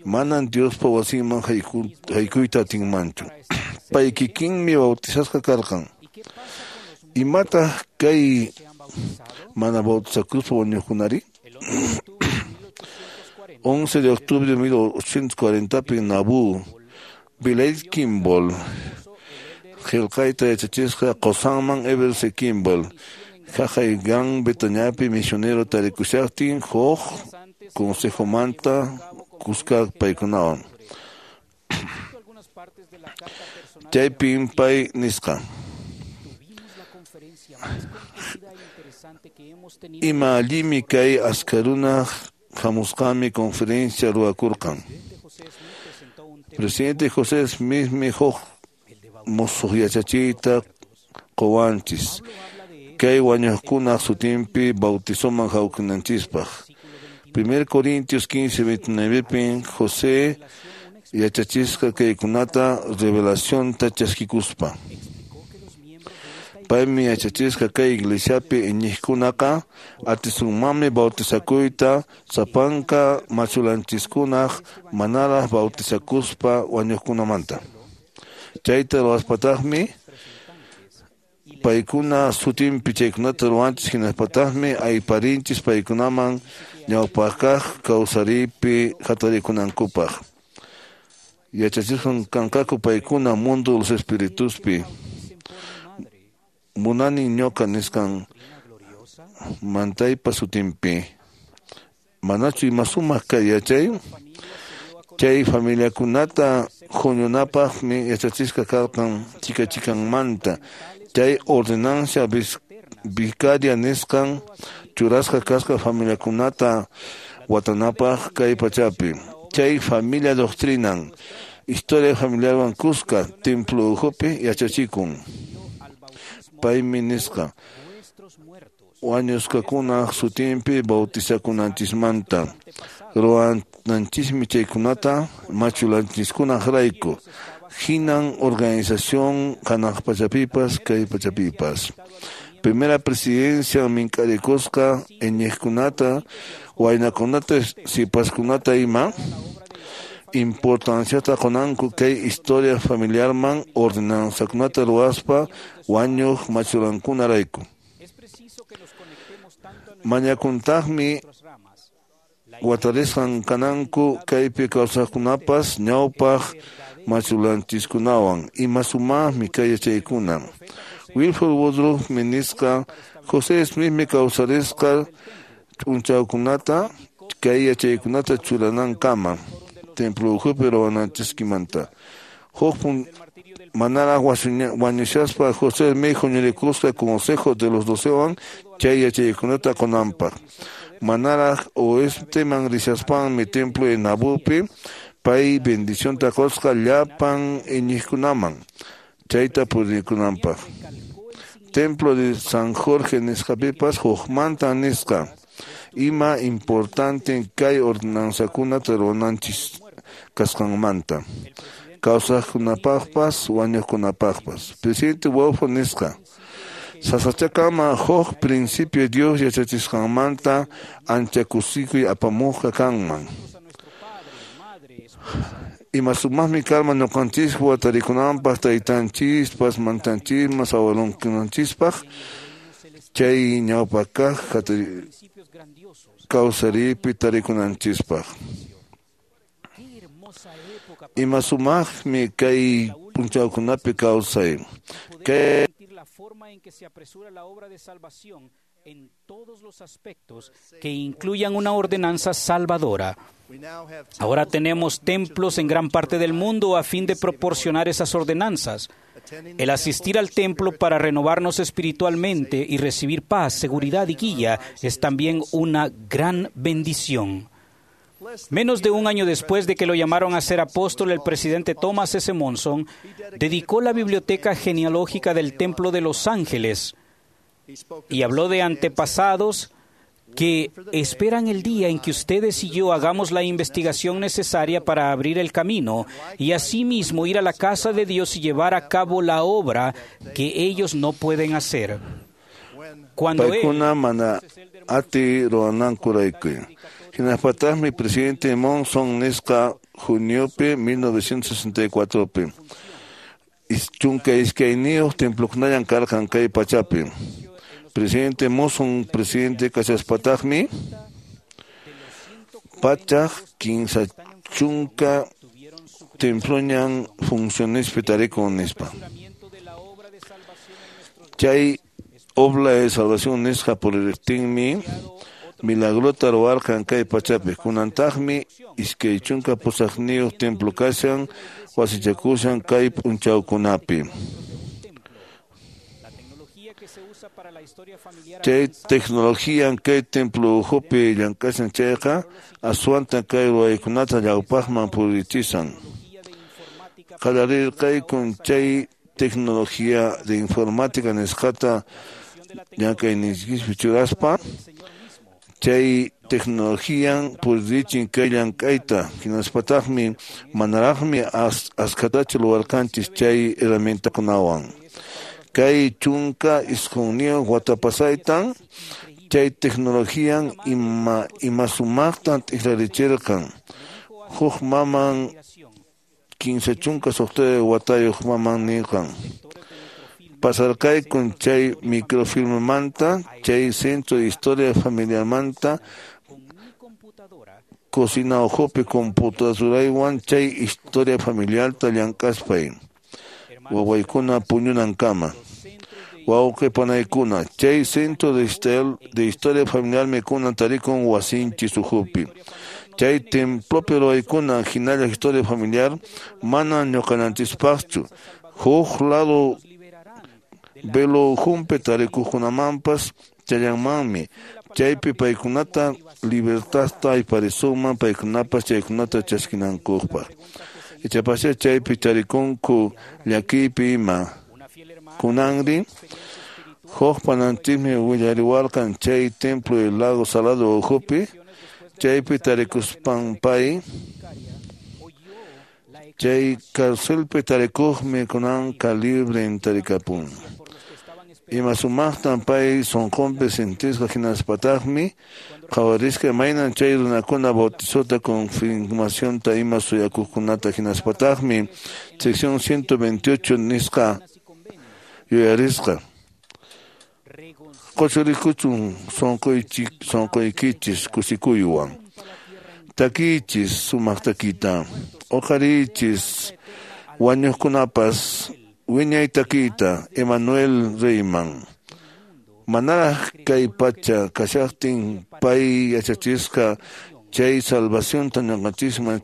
S2: manan Diospa wasinman haykuyta atinmanchu. Pay kikinmi bautizasqa karqan. Imataq kay mana bautizakuspa wañuqkunari? 11 de octubre de 1840pi Nauvoo, Vilate Kimball qillqayta yachachisqa qusanman Heber C. Kimball haqay Gran Bretañapi misionero tarikushaqtin huk consejomanta kuska paykunawan. Chaypin pay nisqa: Ima allimi kay askarunaq hamusqanmi conferencia ruwakurqan. Presidente José Smithmi huk musuq yachachiyta quwanchis kay wañuqkunaq sutinpi bautizoman hawkinanchispaq. 1 Corintios 15:29pin José yachachisqa kaykunata revelacionta chaskikuspa. Paymi yachachisqa kay iglesiapi iñiqkunaqa atisunmanmi bautizakuyta sapanka machullanchiskunaq manaraq bautizakuspa wañuqkunamanta. Chayta ruwaspataqmi paykuna sutinpi chaykunata ruwanchis, hinaspataqmi ayparinchis paykunaman ñawpaqkaq kawsariypi hatarikunankupaq. Yachachisqan kanqaku paykuna mundo de los espirituspi. Munani ñuqa nisqan mantaypa sutinpi. Manachu ima sumaq kay yachay? Chay familiakunata huñunapaqmi yachachisqa karqan chika chikanmanta. Chay ordenancia vicaria nisqan churasqa kasqa familiakunata watanapaq kay pachapi. Chay familia doctrinan historia familiarwan kuska templo ukhupi yachachikun. Paymi nisqa: wañusqakunaq sutinpi bautizakunanchismanta ruwananchismi chaykunata machullanchiskunaqrayku. Hinan organización hanaq pachapipas kay pachapipas. Primera presidencia mink'arikusqa iñiqkunata, waynakunata, sipaskunata ima importanciata qunanku kay historia familiarman ordenanzakunata ruwaspa wañuq machulankunarayku. Mañakuntaqmi watarisqan kananku kaypi kawsaqkunapas ñawpaq machullanchiskunawan. Ima sumaqmi kay yachaykuna. Wilford Woodruffmi nisqa José Smithmi kawsarisqa p'unchawkunata kay yachaykunata churanankama templo ukhupi ruwananchiskimanta. Huk Manaraq wañushaspa José Smith huñurikusqa Consejo de los Docewan chay yachaykunata qunanpaq. Manaraq oesteman rishaspanmi templo de Nabupi pay bendicionta qusqa llapan iñiqkunaman chayta purikunanpaq. Templo de San Jorge nisqapipas hukmanta nisqa ima importante kay ordenanzakunata ruwananchis kasqanmanta. Kawsaqkunapaqpas wañuqkunapaqpas. Presidente Wolfo nisqa sasachakama huk principio Dios yachachisqanmanta ancha kusikuy apamuqqa kanman. Ima sumaqmi karman ñuqanchiswan tarikunanpaq taytanchispas mantanchispas abuelonkunanchispaq chay ñawpakaq kawsariypi tarikunanchispaq. Ima sumaqmi kay p'unchawkunapi kawsay. Kay
S3: la forma en que se apresura la obra de salvación en todos los aspectos que incluyan una ordenanza salvadora. Ahora tenemos templos en gran parte del mundo a fin de proporcionar esas ordenanzas. El asistir al templo para renovarnos espiritualmente y recibir paz, seguridad y guía es también una gran bendición. Menos de un año después de que lo llamaron a ser apóstol, el presidente Thomas S. Monson dedicó la biblioteca genealógica del Templo de Los Ángeles y habló de antepasados que esperan el día en que ustedes y yo hagamos la investigación necesaria para abrir el camino y asimismo ir a la casa de Dios y llevar a cabo la obra que ellos no pueden hacer. Cuando él,
S2: Paykuna mana ati ruwanankurayku. Hinapataqmi presidente Monson nisqa juniopi 1964pi. 12 templokunallan karqan kay pachapi. Presidente Monson presidente kashaspataqmi 130 temploñan funcionespi tarikun nispa. Chay obra de salvación nisqa puririqtinmi milagrota ruwarqan kay pachapi. Kunantaqmi 28 templo kashan wasichakushan kay p'unchawkunapi. Chay tecnología kay templo ukhupi llank'ashan chayqa aswanta kay ruwaykunata ñawpaqman purichisan. Qallarirqaykun chay tecnología de informática nisqata llank'ayniykispi churaspa chay tecnologían purichin kay llank'ayta hinaspataqmi manaraqmi askhatachu ruwarqanchis chay herramientakunawan. Kay 19 wata pasaytan chay tecnologían ima sumaqtan t'ikrarichirqan. Huk maman 36 watayuq maman nirqan. Pasarqaykun chay microfilmmanta, chay centro de historia familiarmanta, cocina ukhupi computadoraywan chay historia familiarta llank'aspay. Wawaykuna puñunankama. Wawqi panaykuna, chay centro de historia familiarmi kunan tarikun wasinchis ukhupi. Chay templopi ruwaykuna hinalla historia familiar mana ñuqananchispaqchu. Huk lado velo ukhunpi tarikuqkunamanpas challanmanmi. Chaypi paykunata libertadta ayparisunman paykunapas chaykunata chaskinankupaq. Ichapascha chaypi tarikunku llakiypi ima. Kunanri huk pananchikmi willariwarqan chay templo del lago Salado ukhupi chaypi tarikuspan pay chay carcelpi tarikuqmi kunanqa libren tarikapun. Ima sumaqtan pay sunqunpi sintisqa hinaspataqmi qhawarisqa imaynan chay runakuna bautizota confirmacionta ima suyakuqkunata hinaspataqmi sección 128 nisqa yuyarisqa. Q'uchurikuchun sunquykichis kusikuywan. Takiychis sumaq takiyta. Uqariychis wañuqkunapas wiñay takiyta Emmanuel Reyman. Manaraq kay pacha kashaqtin pay yachachisqa chay salvacionta ñuqanchisman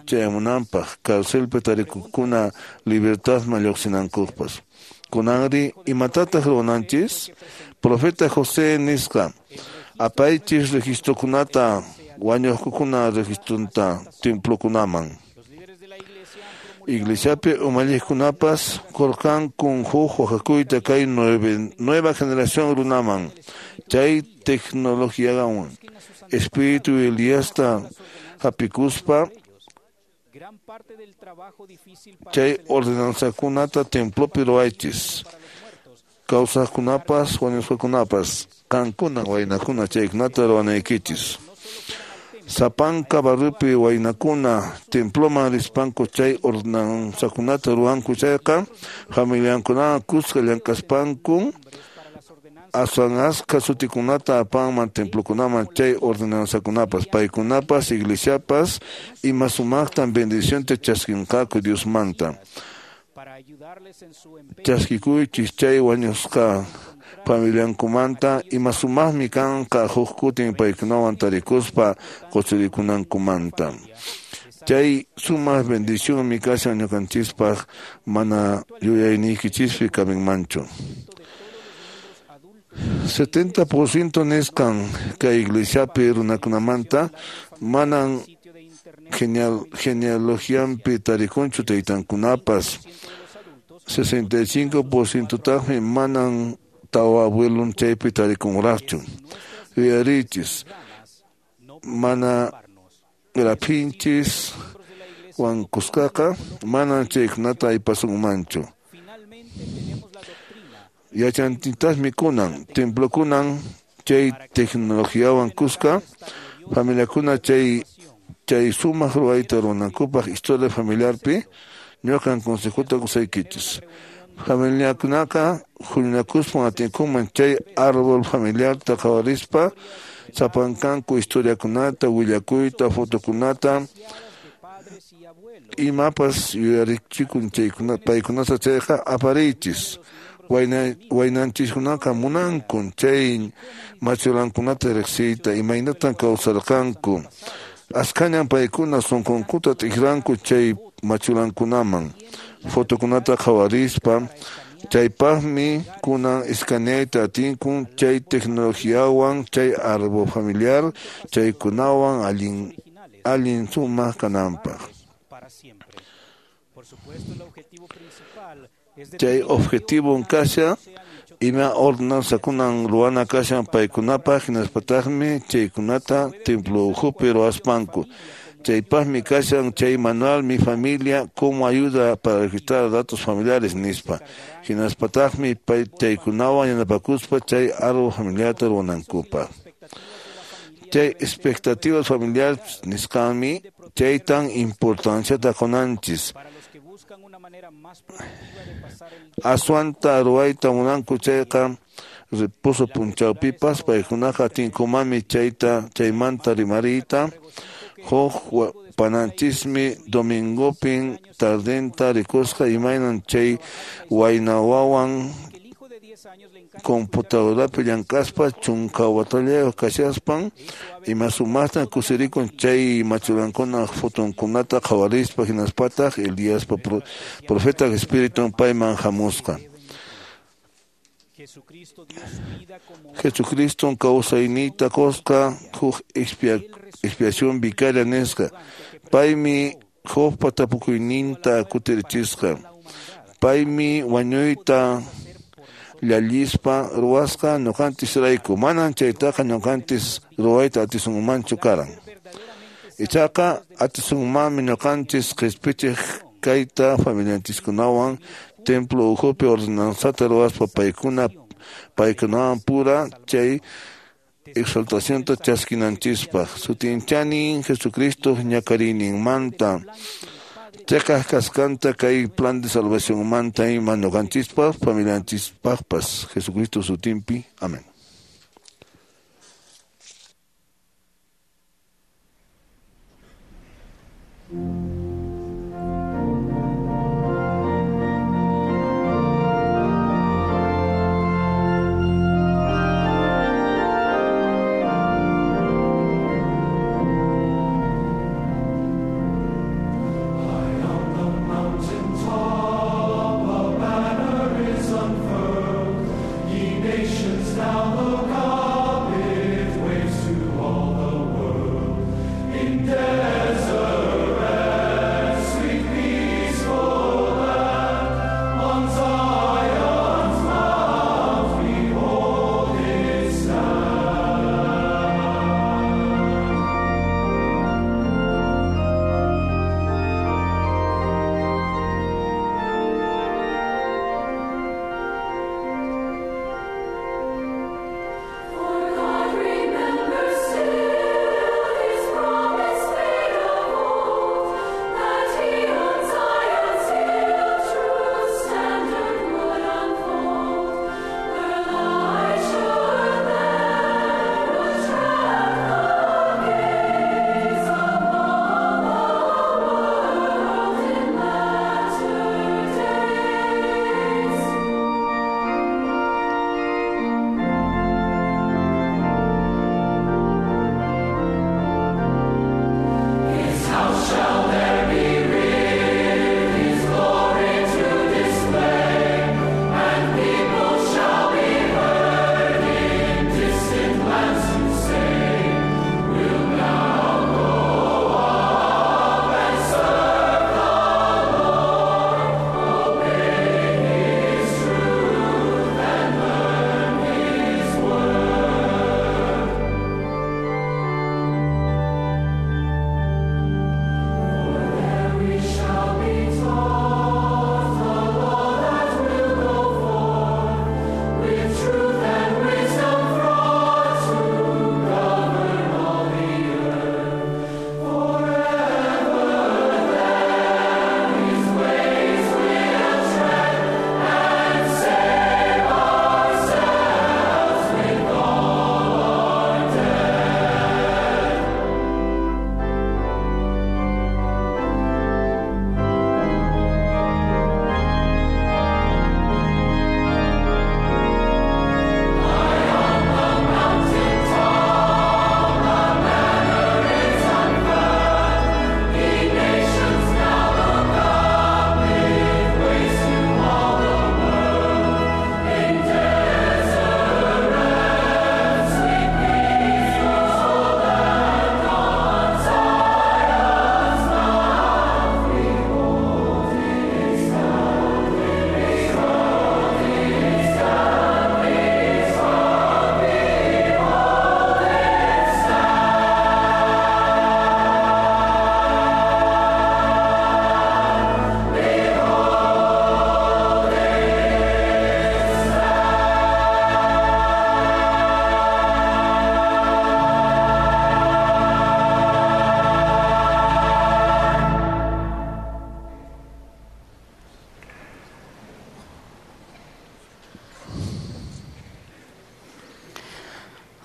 S2: chayamunanpaq carcelpi tarikuqkuna libertadman lluqsinankuppas. Kunanri imatataq ruwananchis? Profeta José nisqa apaychis registrokunata wañuqkuna registronta templokunaman. Iglesiapi umalliqkunapas qurqankun huk waqakuyta kay nueva generación runaman chay tecnologiawan espíritu Eliasta hapikuspa chay ordenanzakunata templopi ruwaychis kawsaqkunapas wañusqakunapas qankuna waynakuna chaykunata ruwanaykichis. Sapanka barripi waynakuna temploman rispanku chay ordenanzakunata ruwanku chayqa familiankunawan kuska llank'aspanku aswan askha sutikunata apanman templokunaman chay ordenanzakunapas paykunapas iglesiapas ima sumaqtan bendicionta chaskinqaku Diosmanta. Chaskikuychis chay wañusqa familiankumanta ima sumaqmi kanqa huk kutin paykunawan tarikuspa qusirikunankumanta. Chay sumaq bendicionmi kashan ñuqanchispaq mana yuyayniykichispi kaminmanchu. 70% nisqan kay iglesiapi runakunamanta manan genealogianpi tarikunchu taytankunapas. 65% taqmi manan tawa abuelon chaypi tarikunraqchu. Yuyarichis mana raphinchis wankusqaqa manan chaykunata aypasunmanchu. Yachantintaqmi kunan templokunan chay tecnologiawan kuska familiakuna chay sumaq ruwayta ruwanankupaq historia familiarpi ñuqan consejota qusaykichis. Familiakunaqa huñunakuspan atinkuman chay árbol familiarta qhawarispa sapankanku historiakunata willakuyta fotokunata imapas yuyarichikun chaykuna paykunata chayqa apariychis. Waynanchiskunaqa munankun chay machulankunata riqsiyta imaynatan kawsarqanku. Askhañan paykuna sunqunkuta t'ikranku chay machulankunaman fotokunata qhawarispa chaypaqmi kunan escaneayta atinkun chay tecnologiawan chay árbol familiar chaykunawan allin sumaq kananpaq. Chay objetivo kasha ima ordenanzakunan ruwana kashan paykunapaq hinaspataqmi chaykunata templo ukhupi ruwaspanku. Chaypaqmi kashan chay manual Mi Familia cómo ayuda para registrar datos familiares nispa. Hinaspataqmi chaykunawan yanapakuspa chay árbol familiarta ruwanankupaq. Chay expectativas familiares nisqanmi chaytan importanciata qunanchis. Aswanta ruwayta munanku chayqa reposo punchawpipas paykunaqa atinkumanmi chayta chaymanta rimariyta. Huk pananchismi domingopin tardenta rikusqa imaynan chay wayna wawan computadorapi llank'aspa chunka watallayuq kashaspan ima sumaqtan kusirikun chay machulankuna fotonkunata qhawarispa hinaspataq Eliaspa profeta espiritun payman hamusqa. Jesucristo kawsayniyta qusqa huk expiación vicaria nisqa. Paymi Jobpa tapukuyninta kutirichisqa. Paymi wañuyta llallispa ruwasqa ñuqanchis rayku. Manan chaytaqa ñuqanchis ruwayta atisunmanchu karan. Ichaqa atisunmanmi ñuqanchis qispichiq kayta familianchiskunawan templo ukhupi ordenanzata ruwaspa paykunawan pura chay exaltacionta chaskinanchispaq. Sutinchanin Jesucristo ñakarininmanta cheqaq kasqanta kay plan de salvacionmanta ima ñuqanchispaq familianchispaqpas Jesucristo sutinpi. Amén.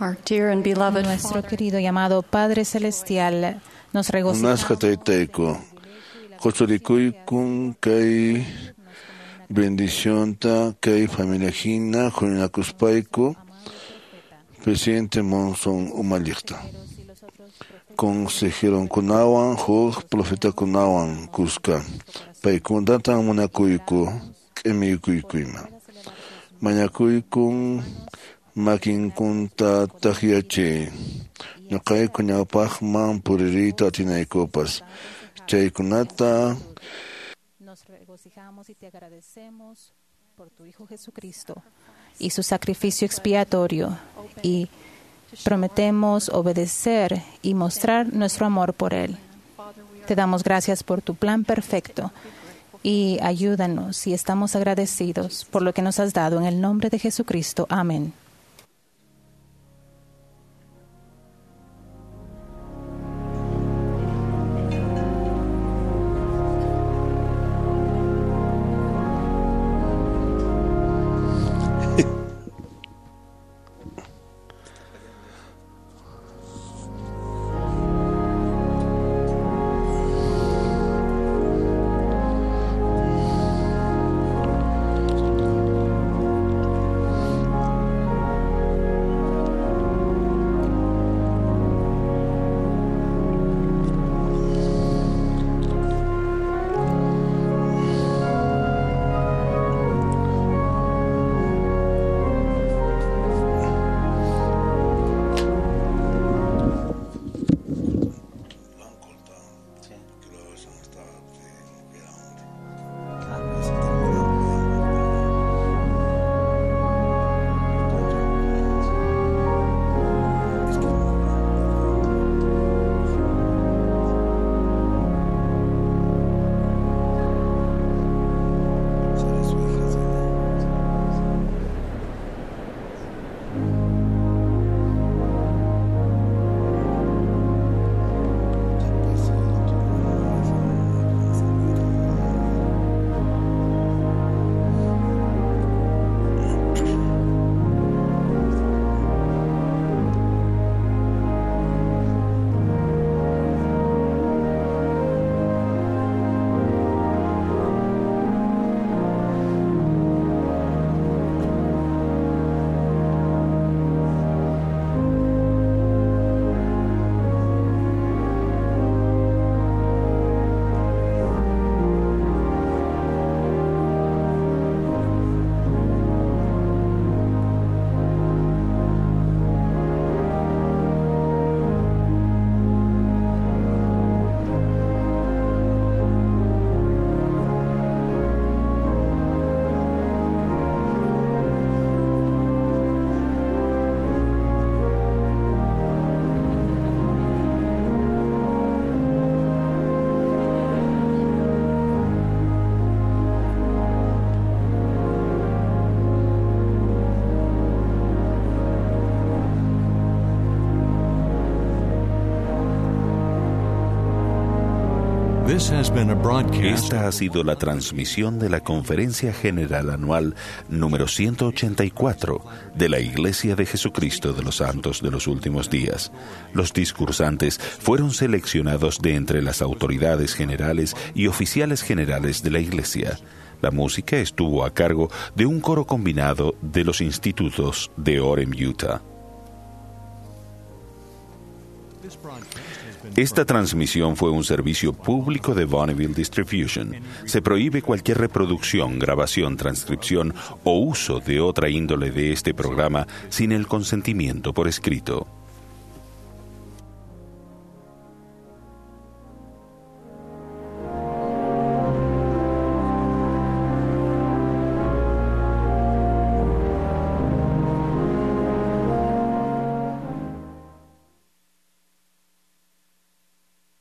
S16: Our dear and beloved
S17: Nuestro querido y amado Padre Celestial, nos regocijamos
S2: Munasqa taytayku, quchurikuykun kay bendicionta kay familia hina huñunakuspayku presidente Monson umalliqta. Consejeronkunawan huk profetakunawan kuska paykunatan munakuyku k'imiykuyma. Mañakuykun makinkunta takyachiy. Ñuqayku ñawpaqman puririyta atinaykupas. Chaykunata
S17: Nos regocijamos y te agradecemos por tu Hijo Jesucristo y su sacrificio expiatorio y prometemos obedecer y mostrar nuestro amor por Él. Te damos gracias por tu plan perfecto y ayúdanos y estamos agradecidos por lo que nos has dado en el nombre de Jesucristo. Amén.
S1: Esta ha sido la transmisión de la Conferencia General Anual número 184 de la Iglesia de Jesucristo de los Santos de los Últimos Días. Los discursantes fueron seleccionados de entre las autoridades generales y oficiales generales de la Iglesia. La música estuvo a cargo de un coro combinado de los institutos de Orem, Utah. Esta transmisión fue un servicio público de Bonneville Distribution. Se prohíbe cualquier reproducción, grabación, transcripción o uso de otra índole de este programa sin el consentimiento por escrito.